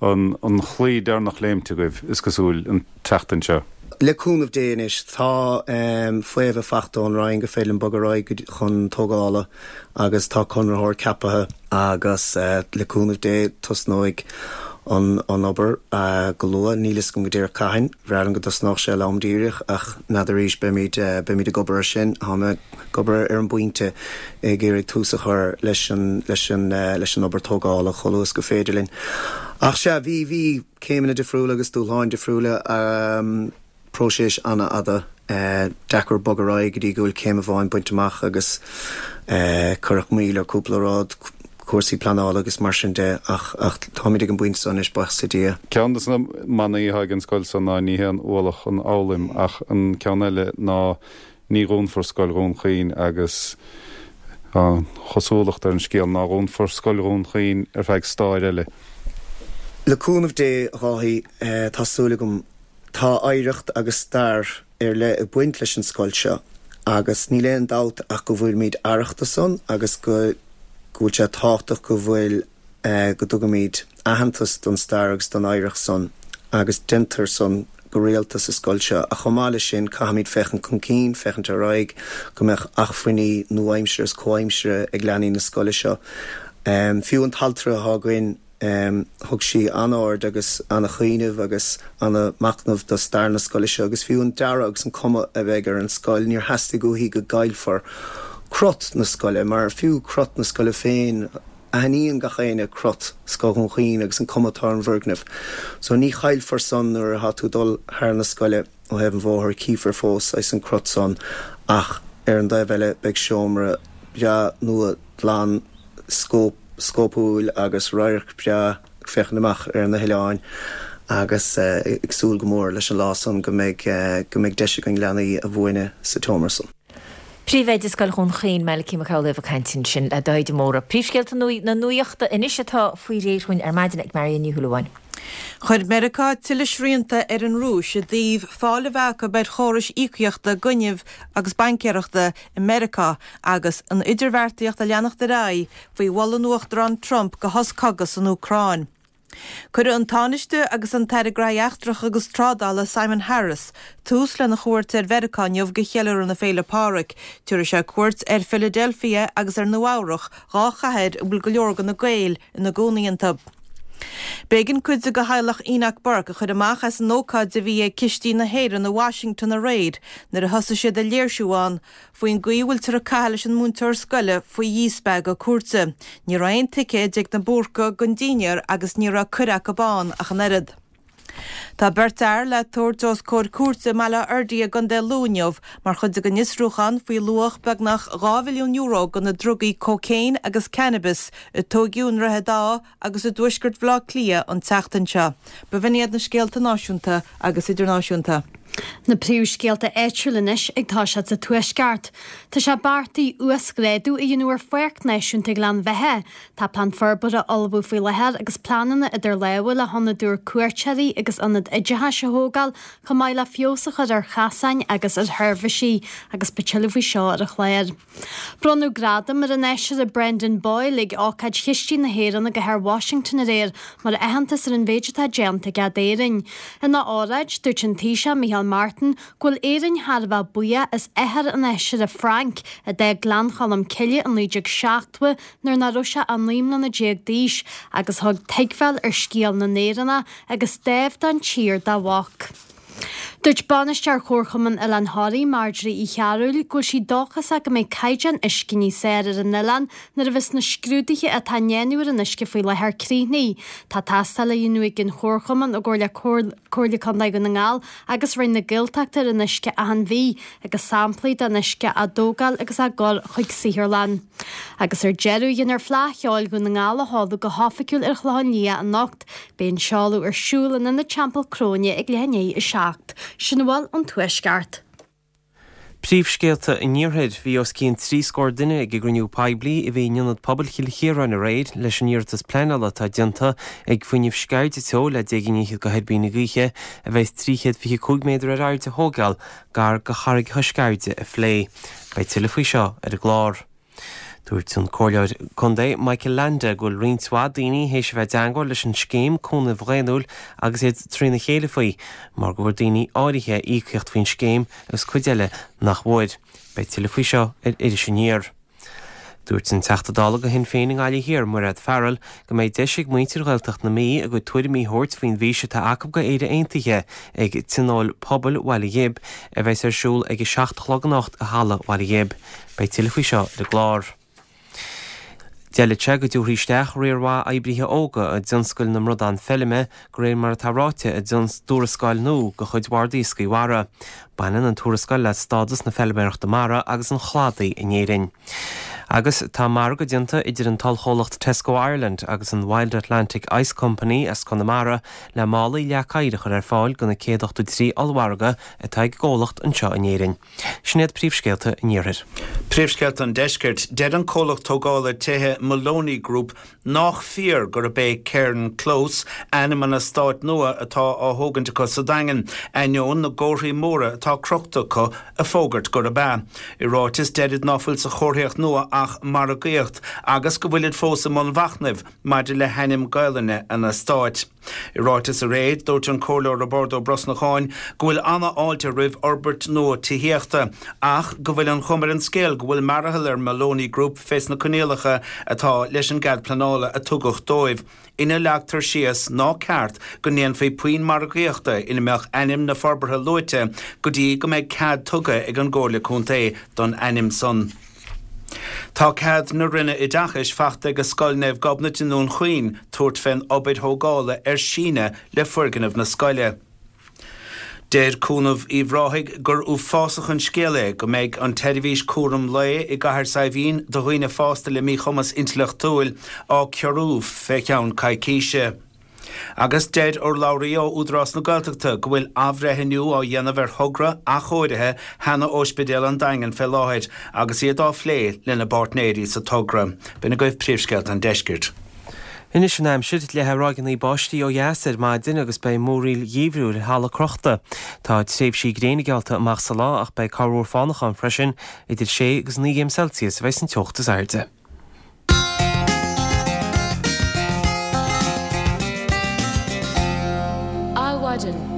an an chlaí deireanach léimte agaibh, is cosúil, an tseachtain seo. Le cúnamh Dé anois, tá faomhadh fachta ón Roinn gur féidir linn bogadh ar aghaidh chun tógála agus tá conraitheoir ceapaithe agus le cúnamh Dé tosnóidh an an obair go luath. Níl fhios agam go díreach cathain. Bhreá liom go dtosnódh sé lom díreach ach n'fheadar arís, beimid beimid ag obair ar sin. Tá mé ag obair ar an bpointe ag iarraidh tús a chur leis an leis an leis an obair tógála chomh luath is gur féidir linn. Ach sea, bhí bhí céimeanna difriúla agus dúshláin difriúla, próiseas an-fhada, deacair bogadh ar aghaidh go dtí go bhfuil céim amháin bainte amach agus cuireadh moill ar cúpla rud, cúrsaí pleanála agus mar sin de ach ach táimid ag an bpointe seo anois, buíochas le Dia. Ceann de na manaí atá ag an scoil seo ná ní haon ualach an fhoghlaim ach an ceann eile ná Ní dhúnfar Scoil Dhún Chaoin agus tá an chosúlacht ar an scéal ná dhúnfar Scoil Dhún Chaoin ar feadh stáir eile. Le cúnamh Dé, a Dháithí, tá súil agam. Tá oidhreacht agus stair ar leith ag baint leis an scoil seo agus níl aon dabht ach go bhfuilimid aireach de san agus go bhfuil sé tábhachtach go bhfuil go dtugaimid aitheantas don stair agus don oidhreacht san agus déantar san go rialta sa scoil seo. Ach chomh maith leis sin, caithfimid féachaint chun cinn, féachaint ar aghaidh, go mbeadh acmhainní nua-aimseartha is comhaimseartha ag leanaí na scoile seo. Fiú an t-altra atá againn, thug sí an-aird agus an-chuimhneamh agus an-machnamh do stair na scoile seo agus fiú an dearadh agus an cuma a bheidh ar an scoil, níor theastaigh uaithi go gcaillfear crot na scoile, mar fiú crot na scoile féin, Aithníonn gach éinne crot Scoil Dhún Chaoin agus an cuma atá ar an bhfoirgneamh. So ní chaillfear san nuair atá tú ag dul thar na scoile ó thaobh an bhóthair, cífear fós saghas an crot san ach ar an dtaobh eile beidh seomra breá nua glan scópúil agus radharc breá ag féachaint amach ar na hoileáin agus ag súil go mór leis an lá san go mbeidh go mbeidh deis againn leanaí a mhúineadh sa tseomra san. Príomhoide Scoil Dhún Chaoin, Malachy Mac Amhlaoibh ag caint ansin le Dáithí de Mórdha. Príomhscéalta na nuachta anois atá faoi réir dhúinn ar maidin ag Marion Ní Shúilleabháin. Chuir Meiriceá tuilleadh srianta ar an Rúis i dtaobh fáil a bheith acu ar chórais íocaíochta gainimh agus baincéireachta i Meiriceá agus an idirbheartaíocht ag leanacht ar aghaidh faoi mholadh an Uachtaráin Trump do shos cogaidh san Úcráin. Cuirfidh an Tánaiste agus an tAire Gnóthaí Eachtracha agus Trádála Simon Harris tús lena chuairt ar Mheiriceá inniu do cheiliúradh na Féile Pádraig. Tabharfaidh sé cuairt ar Philadelphia agus ar Nua Eabhrach, 2 chathair a bhfuil go leor de na Gaeil ina gcónaí iontu. B'éigean cuid de theaghlach Enoch Burke a chur amach as an ócáid a bhí ag Cistí na hÉireann i Washington aréir nuair a thosaigh siad ag léirsiú ann faoin gcaoi a bhfuiltear ag caitheamh leis an múinteoir scoile faoi dhíspeagadh cúirte. Ní raibh aon ticéid ag na Búrcaigh don dinnéar agus ní raibh cuireadh acu ann ach an oiread. Tá beirt fhear le tabhairt os comhair cúirte i mBaile Átha Fhirdhia i gContae Lú inniu mar chuid den fhiosrúchán faoi luach beagnach €2 mhilliún de na drugaí cócaon agus cannabis a tóigeadh i nDroichead Átha agus i dtuaisceart Bhaile Átha Cliath an tseachtain seo. B'in iad na scéalta náisiúnta agus idirnáisiúnta. Na príomhscéalta áitiúla anois ag toiseacht sa Tuaisceart. Tá sé beartaithe uasghrádú a dhéanamh ar Pháirc Náisiúnta Ghleann Bheatha. Tá plean forbartha á ullmhú faoi láthair agus pleananna idir lámha le hionad úr cuairteoirí agus ionad oideachais a thógáil chomh maith le feabhas a chur ar chasáin agus ar sheirbhísí agus beidh tuilleadh faoi seo ar an chlár. Bronnadh gradam ar an Fheisire Brendan Boyle ag ócáid Chistí na hÉireann i gcathair Washington aréir mar aitheantas ar an mhéid atá déanta aige d'Éirinn. Ina óráid, dúirt an Taoiseach Micheál Martin go bhfuil Éirinn thar a bheith buíoch as athair an Fheisire Frank, a d'fhág Gleann Cholm Cille i 1970 nuair nach raibh sé ach 19 mbliana d'aois agus a thug tuigbheáil ar scéal na nÉireannach agus dáimh don tír dá mhac. Dúirt Bainisteoir Chomharchumann Oileán Thoraí, Marjorie Uí Chearúil, go bhfuil sí dóchasach go mbeidh caighdeán uisce níos fearr ar an oileán nuair a bheas na scrúduithe atá á ndéanamh ar an uisce faoi láthair críochnaithe. Tá tástáil á dhéanamh ag an Chomharchumann i gcomhar le Comhairle Contae Dhún na nGall agus Roinn na Gaeltachta ar an uisce achan mhí agus samplaí den uisce á dtógáil agus á gcur chuig saotharlann. Agus ar deireadh, déanfar Fleadh Cheoil Dhún na nGall a sheoladh go hoifigiúil ar Chlochán Liath anocht. Beidh an seoladh ar siúl in Ionad Teampall Cróine ag leath i ndiaidh 7. Sin a bhfuil ón Tuaisceart. Príomhscéalta an Iarthair. Bhí os cionn 30 scór duine ag an gcruinniú poiblí a bhí in Ionad Pobail Chill Chiaráin aréir leis an iarratas pleanála atá déanta ag Fuinneamh Sceirde Teo le deich gcinn fhichead de thuirbíní gaoithe a bheas 325 méadar ar airde a thógáil gar do charraigeacha Sceirde a phlé. Beidh tuilleadh faoi seo ar an gclár. Dúirt an Comhairleoir Contae Michael Leainde go bhfuil roinnt mhaith daoine théis a bheith i dteangmháil leis an scéim cúnaimh dhaonnúil agus iad trína chéile faoi mar go bhfuair daoine áirithe íocaíocht faoin scéim agus cuid eile nach bhfuair. Beidh tuilleadh faoi seo ar Iris Aniar. Dúirt an Teachta Dála do Shinn Féin i nGaillimh Thiar, Mairéad Farrell, go mbeidh deis ag muintir Ghaeltacht na Mí a gcuid tuairimí a thabhairt faoin bhfís atá acu go Éire Aontaithe ag Tionól Pobail Bhaile Ghib a bheas ar siúl ag a 7 a chlog anocht i Halla Bhaile Ghib. Beidh tuilleadh faoi seo ar an gclár. D'fhéadfadh sé go dtabharfaí isteach riar mhaith oibrithe óga i dtionscal na mbradán feilme, de réir mar atá ráite i dtuarascáil nua de chuid Bhord Iascaigh Mhara. Baineann an tuarascáil le stádas na feilméarachta mara agus an chladaigh in Éirinn. Agus tá margadh déanta idir an t-ollchomhlacht Tesco Ireland agus an Wild Atlantic Ice Company as Conamara le málaí leac oighir a chur ar fáil do na 183 ollmhargadh atá ag an gcomhlacht anseo in Éirinn. Sin iad príomhscéalta an Iarthair. Príomhscéalta an Deiscirt. Deir an comhlacht tógála tithe Moloney Group nách fíor gurb é Cairn Close ainm an eastáit nua atá á thógaint acu sa Daingean, ainneoin na gcomharthaí móra atá crochta acu ag fógairt gurb ea. I ráiteas deirid ná fuil sa chomharthaíocht nua ach margaíocht agus go bhfuilid fós i mbun mhachnaimh maidir le hainm Gaelainne an eastáit. I ráiteas aréir, dúirt an Comhairleoir Roibeárd Ó Brosnacháin go bhfuil ana-fháilte roimh fhorbairt nua tithíochta ach go bhfuil an chuma ar an scéal go bhfuil mearathall ar Moloney Group fés na coinníollacha atá leis an gcead pleanála a tugadh dóibh ina leagtar síos ná ceart go ndéanfaí puinn margaíochta ina mbeadh ainm na forbartha luaite go dtí go mbeidh cead tugtha ag an gComhairle Contae don ainm san. Tá cead na Roinne Oideachais fachta ag Scoil Naomh Gobnait i nDún Chaoin tabhairt fén obair thógála ar síneadh le foirgneamh na scoile. Deir Cúnamh Uíbh Ráthaigh gur uafásach an scéal é go mbeidh an tseirbhís cúram lae i gCathair Saidhbhín do dhaoine fásta le míchumas intleachtúil á ciorrú fé cheann coicíse. Agus deir urlabhraí ó Údarás na Gaeltachta go bhfuil athbhreithniú á dhéanamh ar thogra athchóirithe sheana-Óispidéal an Daingin fé láthair agus iad á phlé lena bpáirtnéirí sa togra. B'in agaibh príomhscéalta an deiscirt. Anois an aimsir, leathfaidh ráigeanna báistí ó dheas ar maidin agus beidh múraíl gheimhriúil ar thalamh crochta. Tá tréimhsí gréine geallta amach sa lá ach beidh corrmhúr fánach ann freisin. Idir sé agus 9 gcéim Celsius a bheidh an teocht is airde. Adhmhaidin.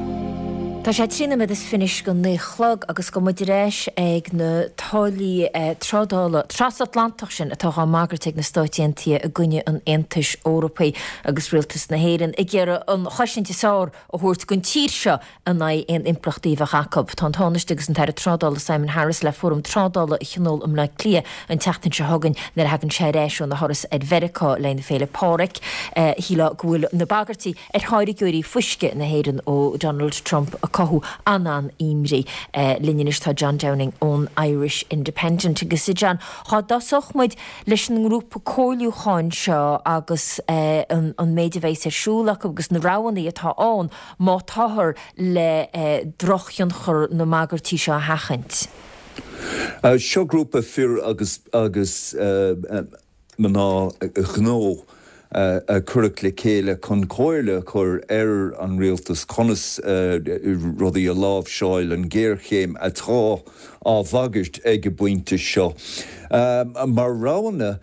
Tá sé 13 nóiméad is fiche go 9 a chlog agus gabhfaidh muid ar ais ag na táillí trádála trasatlantach sin atá á mbagairt ag na Stáit Aontaithe i gcoinne an Aontais Eorpaigh agus Rialtas na hÉireann ag iarraidh an chosaint is fearr a thabhairt don tír seo in aghaidh aon impleachtaí a bheadh acu. Tá an Tánaiste agus an tAire Trádála Simon Harris le fóram trádála a thionól i mBleá Cliath an tseachtain seo chugainn nuair a thagann sé ar ais óna thuras ar Mheiriceá le na Féile Pádraig. Shílfeá go bhfuil na bagairtí ar tháirgeoirí fuisce na hÉireann ó Donald Trump ag cothú an-an-imní. Linn anois tá John Downing ón Irish Independent. Agus a John, dhá dtosódh muid leis an ngrúpa comhairliúcháin seo agus an méid a bheas ar siúl acu agus na roghanna atá ann má táthar le drochthionchar na mbagairtí seo a sheachaint. Seo grúpa fir agus agus mná gnó a cuireadh le chéile chun comhairle a chur ar an rialtas conas rudaí a láimhseáil, an ghéarchéim atá á bhagairt ag an bpointe seo. Mar roghanna.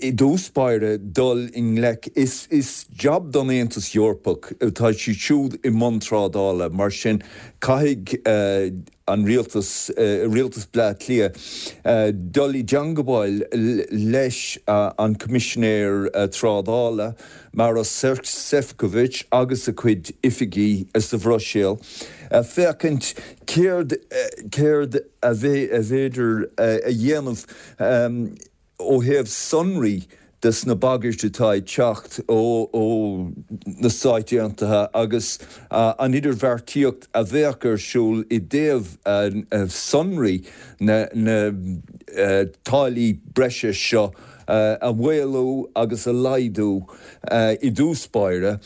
I dtús báire, dul i ngleic, is jab don Aontas Eorpach, tá siad siúd i mbun trádála, mar sin caithfidh an rialtas, rialtas Bleá Cliath, dul i dteangabháil leis an Coimisinéir Trádála, Maros Sefcovic agus a chuid oifigí sa Bhruiséil, féachaint céard, céard a bhféidir a dhéanamh. Ó thaobh sonraí des na bagairt atá ag teacht ó na Stáit Aontaithe agus an idirbheartaíocht a bheadh ar siúl i dtaobh sonraí na táillí breise seo a mhaolú agus a laghdú i dtús báire.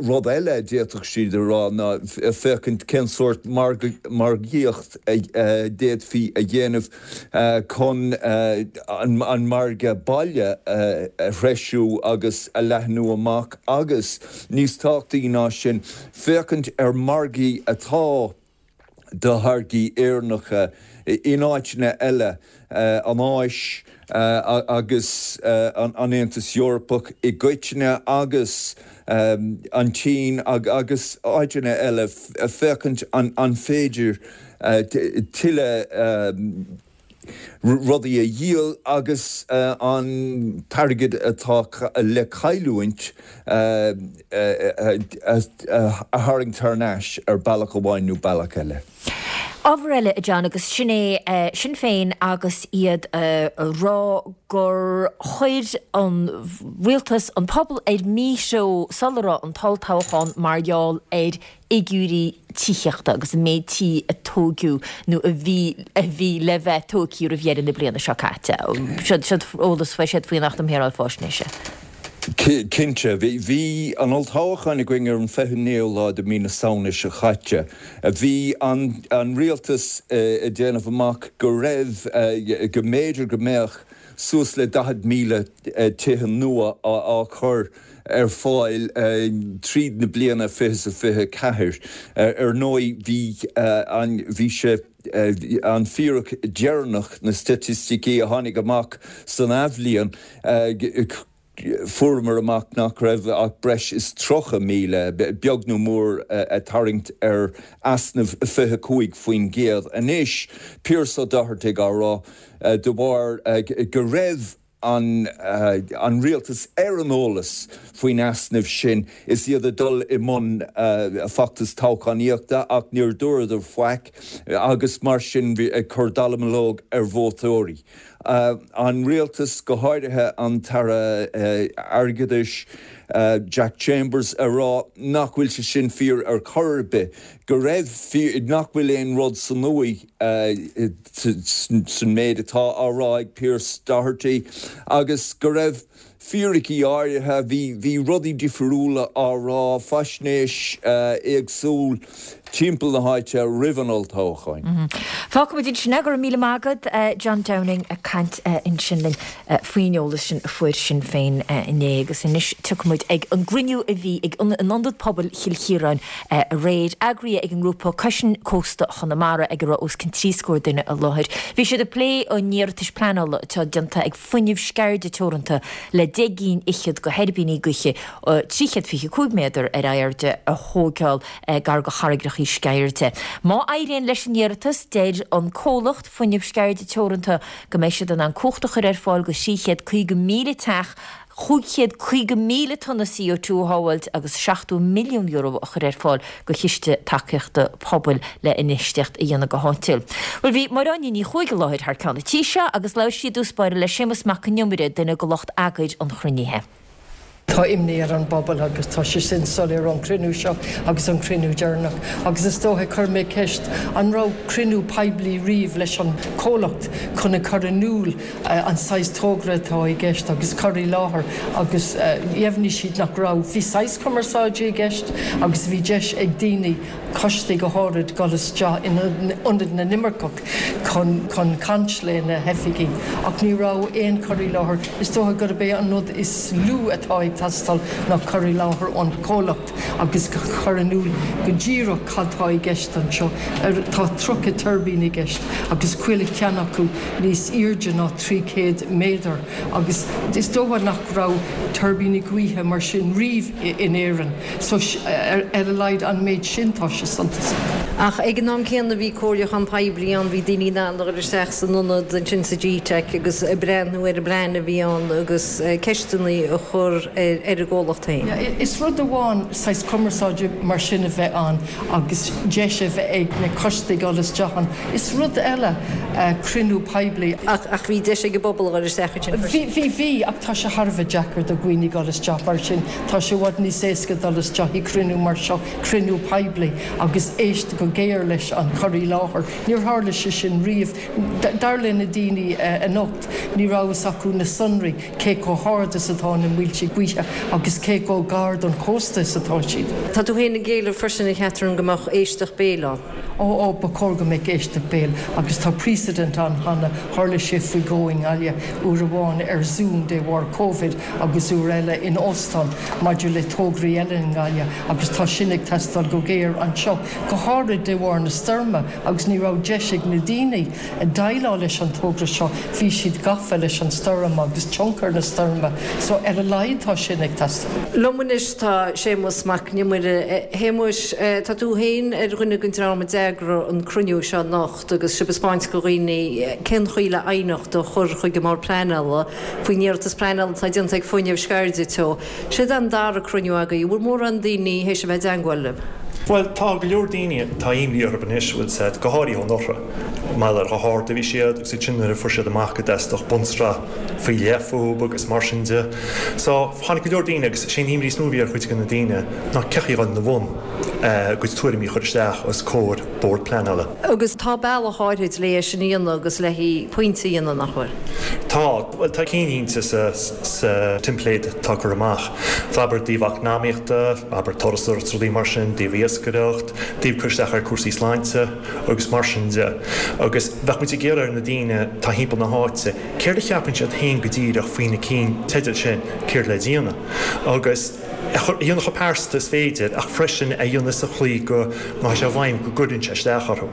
Rud eile a d'fhéadfadh siad a rá ná féachaint cén sórt margaíocht a d'fhéadfaí a dhéanamh chun an margadh baile a threisiú agus a leathnú amach agus, níos tábhachtaí ná sin, féachaint ar mhargaí atá do tháirgí Éireannacha in áiteanna eile, an Áis agus an Aontas Eorpach i gcoitinne agus an tSín agus áiteanna eile, féachaint an féidir tuilleadh rudaí a dhíol agus an t-airgead atá le cailliúint a tharraingt thar n-ais ar bealach amháin nó bealach eile. Ábhar eile, a John, agus sin é Sinn Féin agus iad a rá gur chuir an rialtas an pobal ar míthreo sula raibh an t-olltoghchán mar gheall ar fhigiúirí tithíochta agus an méid tí a tóigeadh nó a bhí a bhí le bheith tógtha roimh dheireadh na bliana seo caite. Seo eolas a fuair siad faoin Acht um Shaoráil Faisnéise. Cinnte. Bhí an olltoghchán againn ar an 29ú lá de mí na Samhna seo chaite. Bhí an rialtas ag déanamh amach go raibh, go mb'fhéidir go mbeadh suas le 40,000 tithe nua á chur ar fáil tríd na bliana 2024. Ar ndóigh, bhí an, bhí sé, an fíric deireanach, na staitisticí a tháinig amach san athbhliain, fuaireamar amach nach raibh ach breis is 30,000, beag nó mór ag tarraingt ar easnamh 25%. Anois, Pearse Ó Dochartaigh á rá, de bharr go raibh an rialtas ar an eolas faoin easnamh sin is iad ag dul i mbun feachtas toghchánaíochta ach níor dúradar faic agus mar sin ag cur dallamullóg ar vótóirí. An rialtas, go háirithe an tAire Airgeadais Jack Chambers ag rá nach bhfuil sé sin fíor ar chor ar bith, go raibh, nach bhfuil aon rud sa uaigh san méid atá á rá ag Pearse Doherty agus go raibh fíricí áirithe, bhí, bhí rudaí difriúla á rá, faisnéis éagsúil timpeall na háite roimh an olltoghchán. Fágfaimid ansin é. Go raibh míle maith agat, John Downing, ag caint ansin linn faoin eolas sin a fuair Sinn Féin inné. Agus anois tiocfaimid ag an gcruinniú a bhí ag in Ionad Pobail Chill Chiaráin aréir, eagraithe ag an ngrúpa Cois Cósta Chonamara ag a raibh os cionn 30 scór duine i láthair. Bhí siad ag plé an iarratais pleanála atá déanta ag Fuinneamh Sceirde Teoranta le 10 gcinn fhichead de thuirbíní gaoithe 325 méadar ar airde a thóigeáil gar do charraigreachaí Sceirde. Má éiríonn leis an iarratas, deir an comhlacht Fuinneamh Sceirde Teoranta go mbeidh siad in ann cumhacht a chur ar fáil do 350,000 teach, 550,000 tonna CO2 a shábháilt agus €70 milliún a chur ar fáil do chiste tacaíochta pobail le infheistíocht a dhéanamh go háitiúil. Bhuel, bhí Máire Áine Ní Chuaig i láthair thar ceann an tí seo agus labhair sí i dtús báire le Séamus Mac Con Iomaire, duine de lucht eagair an chruinnithe. Tá imní ar an bpobal agus tá sé sin soiléir ón chruinniú seo agus an cruinniú deireanach. Agus is dóiche, chuir mé ceist, an raibh cruinniú poiblí riamh leis an chomhlacht chun a chur in iúl an saghas togra atá i gceist agus cur i láthair agus dheimhnigh siad nach raibh. Bhí saghas cumarsáide i gceist agus bhí deis ag daoine, coistí go háirid, dul isteach in Ionad na nImirceach chun chun caint le na hoifigigh ach ní raibh aon chur i láthair. Is dócha gurb é an rud is lú atá ag. teastáil ná cur i láthair ón chomhlacht agus cur in iúl go díreach cad tá i gceist anseo. Tá 30 tuirbín i gceist agus chuile cheann acu níos airde ná 300 méadar agus is dócha nach raibh tuirbíní gaoithe mar sin riamh in Éirinn so ar a laghad an méid sin tá sé suntasach. Ach ag an am céanna bhí comhairliúchán poiblí ann, bhí daoine in ann a dhul isteach san ionad ansin sa G-Teic agus breathnú ar an bplean a bhí ann agus ceisteanna a chur ar an gcomhlacht féin. Is rud amháin saghas cumarsáide mar sin a bheith ann agus deis a bheith ag na coistí dul isteach ann. Is rud eile cruinniú poiblí. Ach bhí deis ag an bpobal a dhul isteach ansin freisin. Bhí, bhí, bhí, ach tá sé thar a bheith deacair do dhaoine dul isteach mar sin. Tá sé i bhfad níos éasca dul isteach i cruinniú mar seo, cruinniú poiblí, agus éist go géar leis an chur i láthair. Níor tharla sé sin riamh. Dar le na daoine anocht, ní raibh fhios acu na sonraí, cé chomh hard is atá na muilte gaoithe agus cé chomh gar don chósta is atá siad. Tá tú féin ag éileamh freisin, a Chatherine, go mbeadh éisteacht béil ann. Ó, ó, ba chóir go mbeadh éisteacht béil agus tá precedent ann cheana, tharla sé faoi dhó i nGaillimh, uair amháin ar Zoom de bharr Covid agus uair eile in óstán maidir le tograí eile i nGaillimh agus tá sin ag teastáil go géar anseo, go háirid de bharr na stoirme agus ní raibh deis ag na daoine déileáil leis an togra seo, bhí siad gafa leis an stoirm agus tionchar na stoirme so ar a laghad tá sin ag teastáil. Liom anois tá Séamus Mac Con Iomaire. A Shéamuis, tá tú féin ar dhuine den dream a d'eagraigh an cruinniú seo anocht agus sibh ag 'spáint do dhaoine cén chaoi le aighneacht a chur chuig an mBord Pleanála faoin iarratas pleanála atá déanta ag Fuinneamh Sceirde Teo. Siod an dara cruinniú agaibh. An bhfuil mórán daoine théis a bheith i dteangmháil libh? Bhuel, tá go leor daoine, tá imní orthu anois, bhfuil 's a'd, go háirithe ón Fhothra, mar gheall ar chomh hard a bhí siad agus ansin nuair a fuair siad amach go dteastódh bunsraith faoi leith fúthu agus mar sin de. So, tháinig go leor daoine agus sé an imní is mó a bhí ar chuid de na daoine ná cén chaoi a dhul ina bhun a gcuid tuairimí a chur isteach os comhair Bord Pleanála. Agus tá bealach áirid le é sin a dhéanamh agus le pointe a dhéanamh, nach bhfuil? Tá. Bhuel, tá cinnlínte sa sa teimpléad atá curtha amach. Abair i dtaobh eacnamaíochta, abair turasóireacht is rudaí mar sin, i dtaobh iascaireacht, i dtaobh cur isteach ar cúrsaí sláinte agus mar sin de. Agus bheadh muid ag iarraidh ar na daoine atá thimpeall na háite, céard a cheapann siad féin go díreach faoi na cinn teidil sin, céard le déanamh. Agus a dhéanamh chomh pearsanta is féidir ach freisin a dhéanamh sa chaoi go ndeachaigh sé i bhfeidhm go gcuireann sé isteach orthu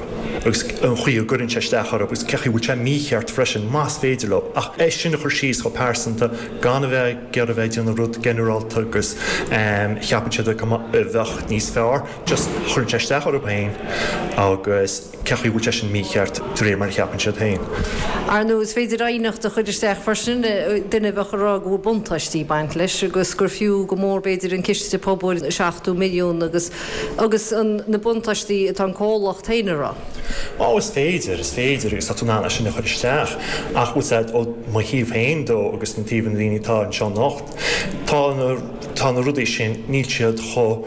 agus an chaoi a gcuireann sé isteach orthu agus cén chaoi a bhfuil sé mícheart freisin más féidir leo ach é sin a chur síos chomh pearsanta gan a bheith ag iarraidh a bheith ag déanamh rud ginearálta agus cheapann siad a bheadh níos fearr just chuireann sé isteach orthu féin agus cén chaoi a bhfuil sé sin mícheart de réir mar a cheapann siad féin. Ar ndóigh, is féidir aighneacht a chur isteach freisin, duine a bheadh ag rá go bhfuil buntáistí ag baint leis agus gur fiú go mór b'fhéidir an ciste pobail 70 milliún agus agus an na buntáistí atá an comhlacht féin ag rá. Ó, is féidir, is féidir agus tá tú in ann é sin a chur isteach ach bhfuil 's a'd ó mo thaobh féin dó agus na taobh na daoine atá anseo anocht, tá na, tá na rudaí sin, níl siad chomh,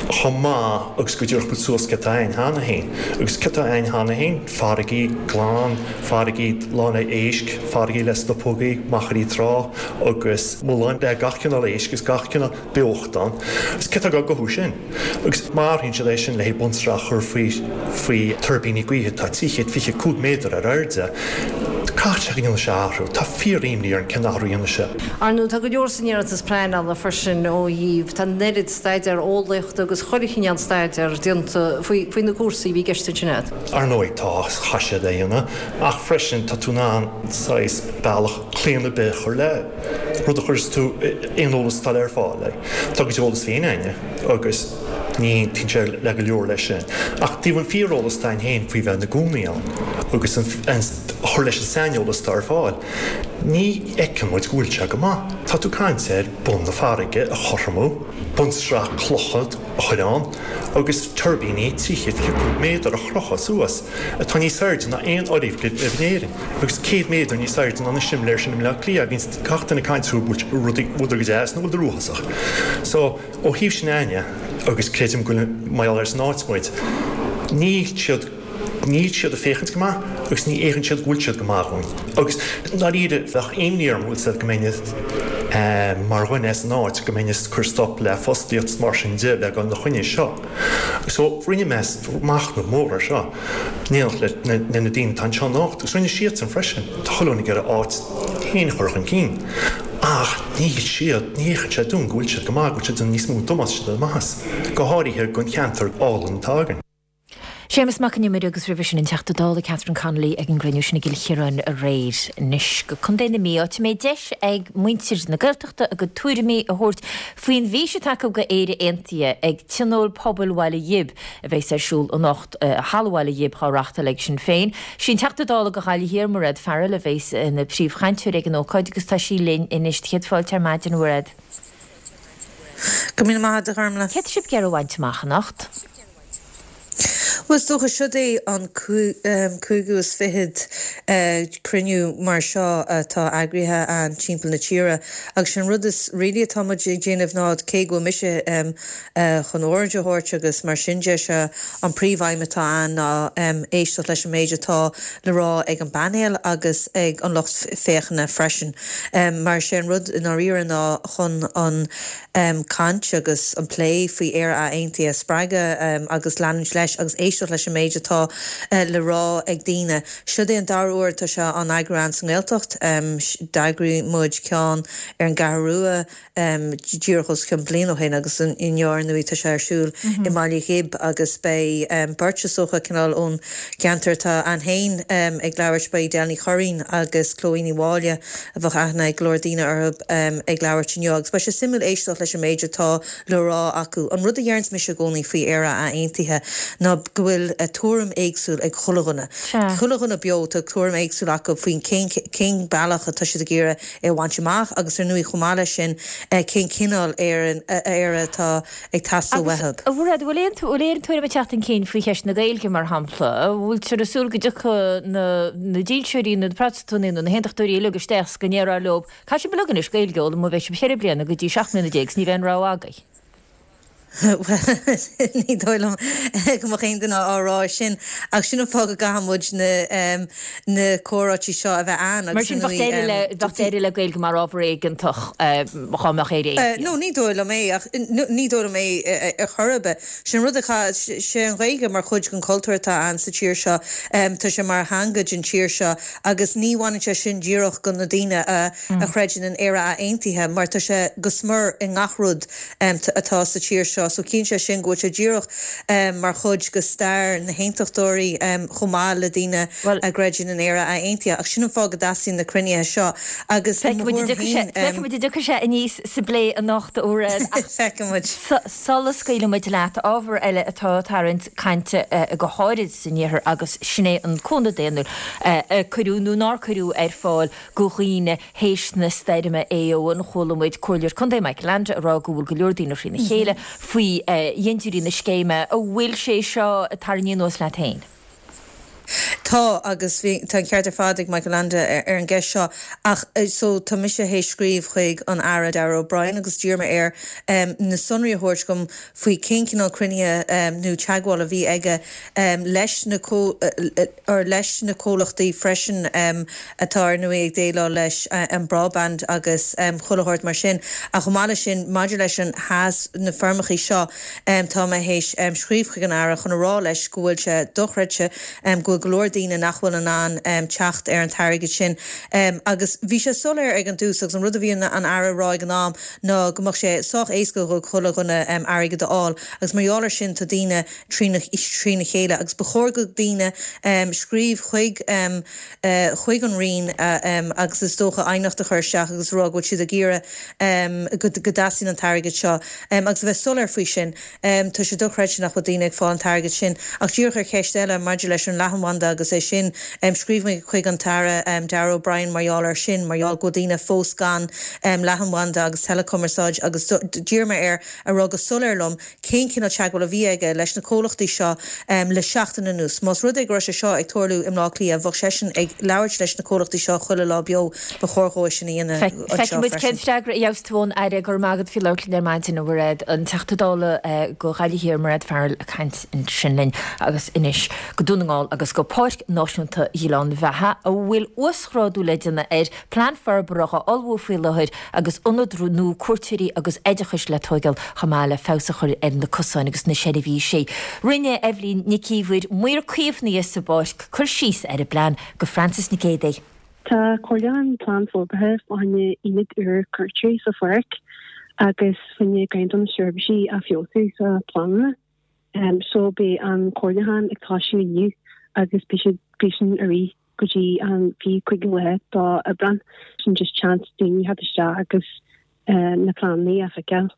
chomh maith agus go dtabharfadh muid suas céard atá a'ainn cheana féin. Agus céard atá a'ainn cheana féin? Farraigí glan, farraigí lán le éisc, farraigí le stopógaí, machairí trá agus mulláin le gach cineál éisc agus gach cineál beocht ann. Agus céard atá ag gabháil uathu sin? Agus má athraíonn siad é sin le haghaidh bunsraith a chur faoi faoi tuirbíní gaoithe atá 325 méadar ar airde, caithfidh sé go ndéanfaidh sé athrú. Tá fíor-imní orainn cén athrú a dhéanfaidh sé. Ar ndóigh, tá go leor san iarratas pleanála freisin ó thaobh, tá an oiread staidéar eolaíochta agus chuile chineál staidéar déanta faoi, faoi na cúrsaí a bhí i gceist ansin agat. Ar ndóigh, tá, chaith siad é a dhéanamh, ach freisin tá tú in ann saghas bealach claon ar bith a chur le rud a chuireas tú aon eolas atá le ar fáil. Tá a gcuid eolas féin a'inne agus ní aontaíonn sé le go leor leis sin. Ach taobh an fíoreolas atá a'inn féin faoi bheith ina gcónaí ann agus an a chur leis an saineolas atá ar fáil, ní fheiceann muid go bhfuil sé go maith. Tá tú ag caint ar bun na farraige a chothromú, bunsraith clocha a chur ann agus tuirbíní 325 méadar a chrochadh suas, atá níos airde ná aon fhoirgneamh in Éirinn agus 100 méadar níos airde ná na simléir sin i mBleá Cliath. Bíonn gach duine ag caint fúthu, bhfuil rudaí go deas nó bhfuil uafásach. So, ó thaobh sin a'inne, agus creidim go bhfuil mar gheall ar san áit muid, níl siad, Níl siad ag féachaint go maith agus ní fhéachann siad go bhfuil siad go maith dhúinn. Agus ndáiríre, bheadh imní orm, bhfuil 's a'd, go mbeinn mar dhuine as an áit, go mbeinn ag cur stop le fostaíocht is mar sin de, bheith ag dul ina choinne seo. So, rinne mé machnamh mór ar seo, in éineacht le na daoine atá anseo anocht, agus rinne siadsan freisin. Tá chuile dhuine ag iarraidh a áit féin a chur chun cinn. Ach níl siad, ní fhéachann sé dúinn go bhfuil siad go maith, go bhfuil siad ag déanamh níos mó damáiste ná maitheas, go háirithe don cheantar álainn atá againn. Séamus Mac an Iomaire agus roimhe sin an Teachta Dála Catherine Connolly ag an gcruinniú sin i gCill Chiaráin aréir. Anois go Contae na Mí, áit a mbeidh deis ag muintir na Gaeltachta a gcuid tuairimí a thabhairt faoin bhfís atá acu go Éire Aontaithe ag Tionól Pobail Bhaile Ghib a bheas ar siúl anocht i Halla Bhaile Ghib dhá reachtáil ag Sinn Féin. Sí an Teachta Dála go Ghaillimh Thiar, Mairéad Farrell a bheas ina príomhchainteoir ag an ócáid agus tá sí linn anois. Céad fáilte ar maidin, a Mhairéad. Go raibh míle maith agat, a Ghormlaith. Céard tá sibh ag iarraidh a bhaint amach anocht? Bhuel, is dócha, siod é an cúigiú is fichead cruinniú mar seo atá eagraithe a'inn timpeall na tíre agus sé an rud is really atá muid ag déanamh ná cé go bhfuil mise chun óráid a thabhairt agus mar sin de, sé an príomhaidhm atá a'inn ná éisteacht leis an méid atá le rá ag an bpainéal agus ag an lucht féachana freisin. Mar sé an rud i ndáiríre ná chun an caint agus an plé faoi Éire Aontaithe a spreagadh agus leanúint leis agus éisteacht leis an méid atá le rá ag daoine. Siod é an dara huair atá sé á eagrú a'inn sa nGaeltacht. D'eagraigh muid ceann ar an gCeathrú Rua díreach os cionn bliain ó shin agus inniu ar ndóigh tá sé ar siúl i mBaile Ghib agus beidh beirt is dócha cineál ón gceantar atá a'inn féin ag labhairt, beidh Edel Ní Churraoin agus Chloe Ní Mháille. a bheadh aithne ag go leor daoine orthu ag labhairt inniu agus beidh sé suimiúil éisteacht leis an méid atá le rá acu. An rud a deireanns mise i gcónaí faoi Éire Aontaithe ná go bhfuil tuairim éagsúil ag chuile dhuine. Chuile dhuine beo tá tuairim éagsúil acu faoin cén cén bealach atá siad ag iarraidh é a bhaint amach agus ar ndóigh chomh maith leis sin cén cineál Éire atá ag teastáil Agus, uathu. a Mhairéad, bhfuil aon, bhfuil aon tuairim ag teacht chun cinn faoi cheist na Gaeilge, mar shampla? An bhfuiltear ag súil go dtiocfaidh na, na dílseoirí, na Protastúnaigh nó na hAontachtóirí uilig isteach 's go ndéarfar leo, caithfidh sibh uilig anois Gaeilge a fhoghlaim ó bheidh sibh cheithre bliana go dtí 17 mbliana 's ní bheidh aon rogha agaibh. Bhuel, ní dóigh liom go mbeadh aon duine á rá sin, ach sin an fáth go gcaithfidh muid na, na comhráití seo a bheith ann Mar agus sin ar bheadh ndóigh, deireadh le, bheadh deireadh le Gaeilge mar ábhar éigeantach dhá mbeadh Éire Aontaithe. No, ní dóigh liom é, ach ní dóigh liom é ar chor ar bith. Sin rud a chaith, sé an Ghaeilge mar chuid den chultúr atá ann sa tír seo, tá sé mar theanga den tír seo agus ní bhaineann sé sin díreach go na daoine a chreideann in Éire Aontaithe mar tá sé go smior i ngach rud atá sa tír seo. So ciallaíonn sé sin go bhfuil sé díreach mar chuid de stair na hAontachtóirí chomh maith le daoine a gcreideann in Éire Aontaithe. Ach sin an fáth go dteastaíonn na cruinnithe seo agus i mo thuairim féin. Feicfidh muid an dtiocfaidh sé aníos sa bplé anocht, a Mhairéad, ach Feicfidh muid. sula scaoilfidh muid leat, ábhar eile atá ag tarraingt cainte go háirid san iarthar agus sin é an cúnamh daonnúil a cuireadh nó nár cuireadh ar fáil go dhaoine théis na stoirme Éowyn. Chuala muid Comhairleoir Contae Michael Leainde ag rá go bhfuil go leor daoine thrína chéile faoi dhéantóirí na scéime. An bhfuil sé seo ag tarraingt anuas leat féin? Tá, agus bhí, tá an ceart ar fad ag Michael Leainde ar an gceist seo ach so tá mise théis scríobh chuig an Aire Darragh O'Brien agus d'iarr mé air na sonraí a thabhairt dom faoi cén cineál cruinnithe nó teagmháil a bhí aige leis na or leis na comhlachtaí freisin atá ar ndóigh ag déileáil leis an broadband agus chuile shórt mar sin. Ach chomh maith leis sin, maidir leis an HAS, na foirmeachaí seo, tá mé théis scríobh chuig an Aire chun a rá leis go bhfuil sé dochreidte go bhfuil go leor daoine nach bhfuil in ann teacht ar an t-airgead sin. Agus bhí sé soiléir ag an dtús agus an rud a bhí an Aire a rá ag an am ná go mbeadh sé sách éasca do chuile dhuine airgead a fháil agus mar gheall ar sin tá daoine trína trína chéile agus ba chóir go daoine scríobh chuig chuig an Roinn agus is dócha aighneacht a chur isteach agus a rá go bhfuil siad ag iarraidh go go dteastaíonn an t-airgead seo agus a bheith soiléir faoi sin. Tá sé dochreidte nach bhfuil daoine ag fáil an t-airgead sin. Ach díreach ar cheist eile maidir leis an leathanbhanda agus é sin, scríobh mé chuig an tAire Darragh O'Brien mar gheall air sin, mar gheall go bhfuil daoine fós gan leathanbhanda agus teileachumarsáid agus d'iarr mé air a rá go soiléir liom cén cineál teagmháil a bhí aige leis na comhlachtaí seo le seachtain anuas. Más rud é go raibh sé seo ag tarlú i mBleá Cliath, bheadh seisean ag labhairt leis na comhlachtaí seo chuile lá beo. Ba chóir dhó é sin a dhéanamh anseo Feicfidh muid cén freisin. freagra a gheobhas tú ón Aire. Go raibh maith agat faoi labhairt linn ar maidin, a Mhairéad. An Teachta Dála go Ghaillimh Thiar, Mairéad Farrell ag caint ansin linn. Agus anois go Dún na nGall agus go Páirc Náisiúnta Ghleann Bheatha, a bhfuil uasghrádú le déanamh air, Plean forbartha á ullmhú faoi láthair agus ionad nua cuairteoirí agus oideachais le tóigeáil chomh maith le feabhas a chur ar na cosáin agus na seirbhísí. Rinne Eibhlín Nic Íomhair, maor caomhnaithe sa bpáirc, cur síos ar an bplean go Frances Nic Géadaigh. Tá comhairliúchán plean forbartha fá choinne ionad úr cuairteoirí sa pháirc agus fá choinne ceann de na seirbhísí a feabhsú sa pleananna. So beidh an comhairliúchán ag toisiú inniu agus beidh siad beidh sin ar aghaidh go dtí an 25ú lá d'Aibreán. Sin just chance daoine theacht isteach agus na pleananna a fheiceáil.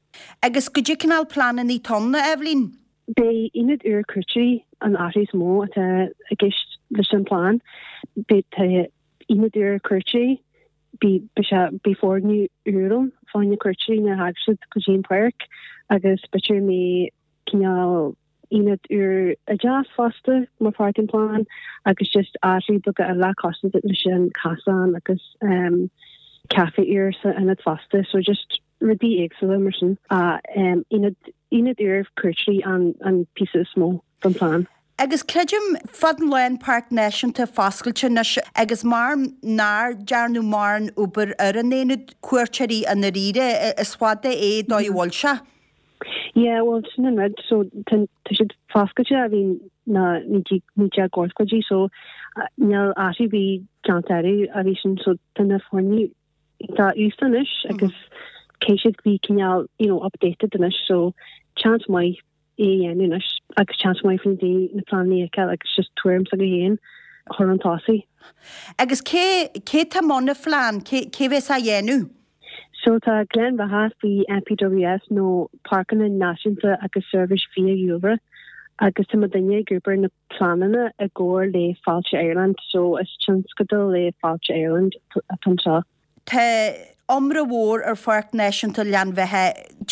Agus goidé cineál pleananna atá ann, a Eibhlín? Beidh ionad úr cuairteoirí an athrú is mó atá i gceist leis an bplean. Beidh tá ionad úr cuairteoirí, beidh beidh sé beidh foirgneamh úr ann fá choinne cuairteoirí nuair a thagann siad go dtí an páirc agus b'fhéidir go mbeidh cineál ionad úr oideachais fosta mar pháirt den phlean agus just athrú beaga eile cosúil leis an casán agus caife úr san ionad fosta so just rudaí éagsúla mar sin. Ionad ionad úr cuairteoirí an an píosa is mó den phlean. Agus creidim, fad an lá an Páirc Náisiúnta foscailte anois agus mar nár dearnadh mórán obair ar an aonad cuairteoirí i ndáiríre, is fada é dóigh a bhfuil sé. Yeah, bhuel sin an rud, so tá siad foscailte ó bhí na 1980idí so níl athrú ar bith déanta orthu ó bhí sin so tá na foirgnimh Tá aosta anois agus caithfidh siad bheith cineál you know updated anois so chance maith é a dhéanamh anois agus chance maith faoi daoine na pleananna a fheiceáil agus just tuairim s'acu féin a chur chun tosaigh. Agus cé cé tá i mbun an phlean? Cé cé bhéas á dhéanamh? So tá Gleann Bheatha faoi NPWS nó Páirceanna Náisiúnta agus Seirbhís Fiadhúlra agus tá muidinne ag obair na pleananna i gcomhar le Fáilte Ireland so is tionscadal le Fáilte Ireland atá anseo. Tá iomrá mhór ar Pháirc Náisiúnta Ghleann Bheatha.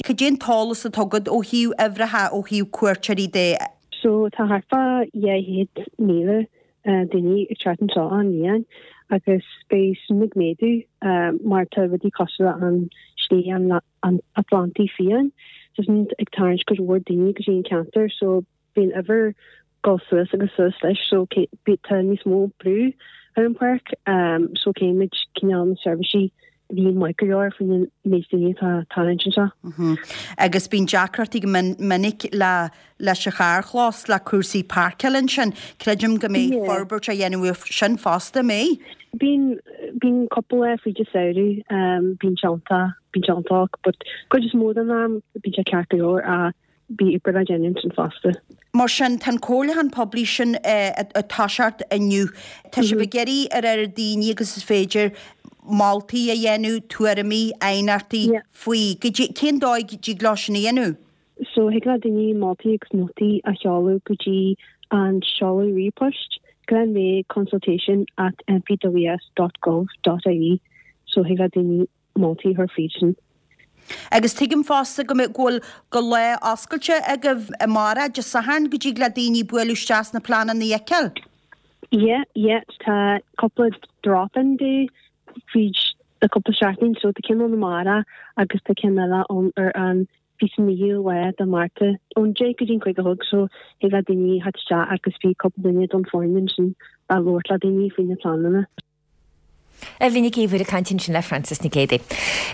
Cad é an t-eolas atá agat ó thaobh uimhreacha, ó thaobh cuairteoirí de? So tá thart fá 200,000 daoine ag teacht anseo achan bhliain agus beidh sin ag méadú mar tá rudaí cosúil le an Slí an Atlantaigh Fiáin, tá sin ag tarraingt cuid mhór daoine go dtí an ceantar so bíonn uimhir dul suas agus suas leis so tá níos mó brú ar an pháirc so caithfimid cineál na seirbhísí a bhí maith go leor faoin méid daoine atá ag tarraingt anseo. Agus bíonn deacrachtaí go minic le leis an charrchlós, le cúrsaí páirceála ansin. Creidim go mbeidh forbairt á dhéanamh air sin fosta, an mbeidh? Bíonn, bíonn cúpla lá fríd an samhradh, bíonn sé iontach, bíonn sé iontach but cuid is mó den am bíonn sé ceart go leor ach Beidh obair le déanamh ansin fosta. Mar sin, tá an comhairliúchán poiblí sin ag toiseacht inniu. Tá sibh ag iarraidh ar oiread daoine agus is féidir moltaí a dhéanamh, tuairimí, aighneachtaí faoi. Cén dóigh a dtig leo sin a dhéanamh? So thig le daoine moltaí agus nótaí a sheoladh go dtí an seoladh ríomhphoist, glenveagh consultation at npws dot gov dot ie. So thig le daoine moltaí a chur fríd sin. Agus tuigim fosta go mbeidh, go bhfuil, go lá oscailte agaibh amárach, Dé Sathairn, go dtig le daoine bualadh isteach 's na pleananna a fheiceáil. Yeah, yeah, tá cúpla drop-in day fríd le cúpla seachtain, so tá ceann ann amárach agus tá ceann eile ann ar an 29ú lá de Márta, ón 10 go dtí an 5 a chlog, so thig le daoine theacht isteach agus beidh cúpla duine don foireann ansin a labhairt le daoine faoi na pleananna. Eibhlín Nic Íomhair ag caint ansin le Frances Nic Géadaigh.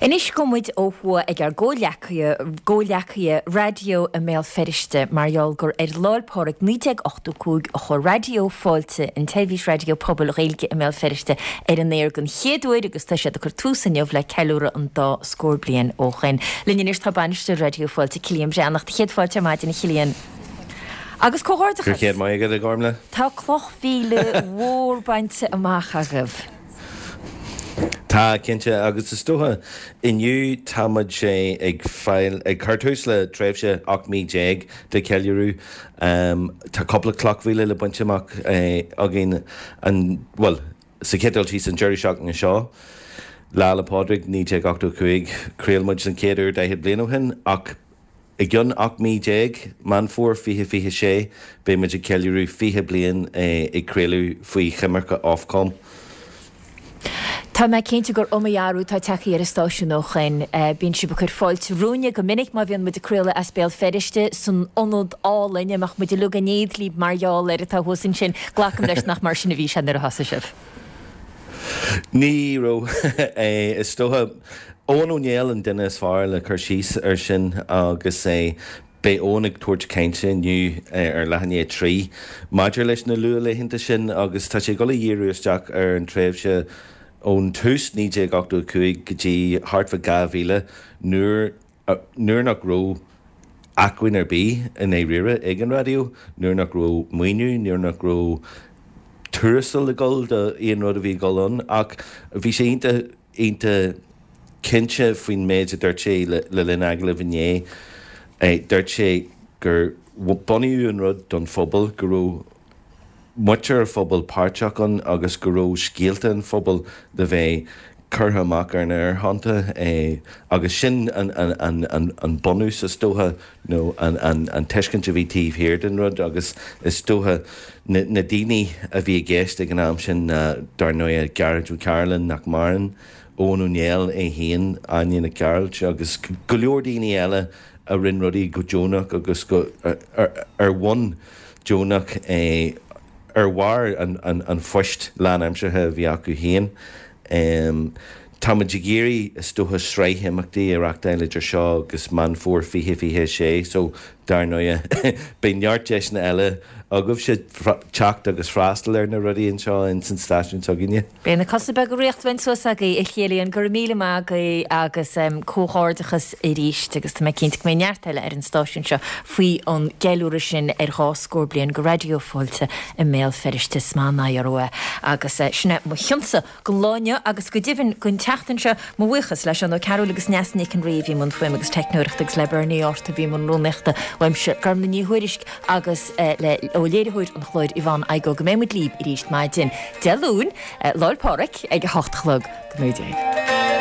Anois gabhfaidh muid ó thuaidh ag ár gcomhghleacaithe raidió i mBéal Feirste mar gheall gur ar Lá 'le Pádraig 1985 a chuir Raidió Fáilte, an tseirbhís raidió pobail Ghaeilge i mBéal Feirste, ar an aer den chéad uair agus tá siad ag cur tús inniu le ceiliúradh an dá scór bliain ó shoin. Linn anois tá bainisteoir Raidió Fáilte, Cillian Breathnach. Céad fáilte ar maidin, a Chillian. Agus comhghairdeachas! Go raibh céad maith agat, a Ghormlaith. Tá cloch mhíle mhór bainte amach agaibh. Tá, cinnte, agus is dócha inniu tá muid ag fáil, ag cur tús le tréimhse 18 mí de cheiliúradh. Tá cúpla cloch mhíle le baint amach againn, an, bhuel, sa chéad dul síos an deireadh seachtaine seo, Lá 'le Pádraig 1985, chraol muid den chéad uair 40 bliain ó shin ach, I gcionn 18 mí, Meán Fómhair 2026, beidh muid ag ceiliúradh 20 bliain ag craoladh faoi choimirce Ofcom. Tá mé cinnte gur iomaí athrú atá tagtha ar an stáisiún ó shoin. Bíonn sibh ag cur fáilte romhainne go minic má bhíonn muid ag craoladh as Béal Feirste san ionad álainn a mbeadh muid uilig in éad libh mar gheall air atá thuas ansin. Glacaim leis nach mar sin a bhí sé nuair a thosaigh sibh. Ní raibh. Is dócha, Eoin Ó Néill an duine is fearr le cur síos air sin agus beidh Eoin ag tabhairt cainte inniu ar leath i ndiaidh 3 maidir leis na luathlaethanta sin agus tá sé ag dul a dhíriú isteach ar an tréimhse. Ón tús, 1985, go dtí thart fá 2000 nuair nuair nach raibh acmhainn ar bith i ndáiríre ag an raidió, nuair nach raibh maoiniú, nuair nach raibh tuarastal ag dul do aon rud a bhí ag dul ann ach bhí sé iontach, iontach cinnte faoin méid a dúirt sé le linn agallaimh inné. Dúirt sé gur bunaíodh an rud don phobal, go raibh muintir an phobail páirteach ann agus go raibh scéalta an phobail le bheith curtha amach ar na haerthonnta agus sin an bunús is dócha nó an tuiscint a bhí taobh thiar den rud agus is dócha na daoine a bhí i gceist ag an am sin ná dar ndóighe Gearóid Ó Cairealláin nach maireann, Eoghan Ó Néill é féin, Áine Nic Gearailt agus go leor daoine eile a rinne rudaí go deonach agus go ar bhonn deonach ar bharr an phoist lánaimseartha a bhí acu féin. Táimid ag iarraidh, is dócha, sraith imeachtaí a reachtáil idir seo agus Meán Fómhair 2026 so dar ndóighe beidh neart deiseanna eile agaibhse teacht agus freastal ar na rudaí anseo ins an stáisiún s'againne. Beidh na cosa beaga riachtanach suas agaibh, a Chéilíonn. Go raibh míle maith agaibh agus comhghairdeachas arís agus tá mé cinnte go mbeidh neart eile ar an stáisiún seo faoi an gceiliúradh sin ar dhá scór bliain de Raidió Fáilte i mBéal Feirste. Is maith an aghaidh orthu é. Agus sin é mo chionsa don lá inniu agus go deimhin don tseachtain seo. Mo bhuíochas le Seán Ó Cearúil agus Neasa Nic an Rí a bhí i mbun fuaime agus teicneoireachta agus le Bernie Arthur a bhí i mbun rúnaíochta. Uaimse, Gormlaith Ní Thuairisg agus le ó léiritheoir an chláir Yvonne Igoe go mbeidh muid libh arís maidin Dé Luain, Lá'l Pádraig, ag a hocht a chlog. Go mbeidh.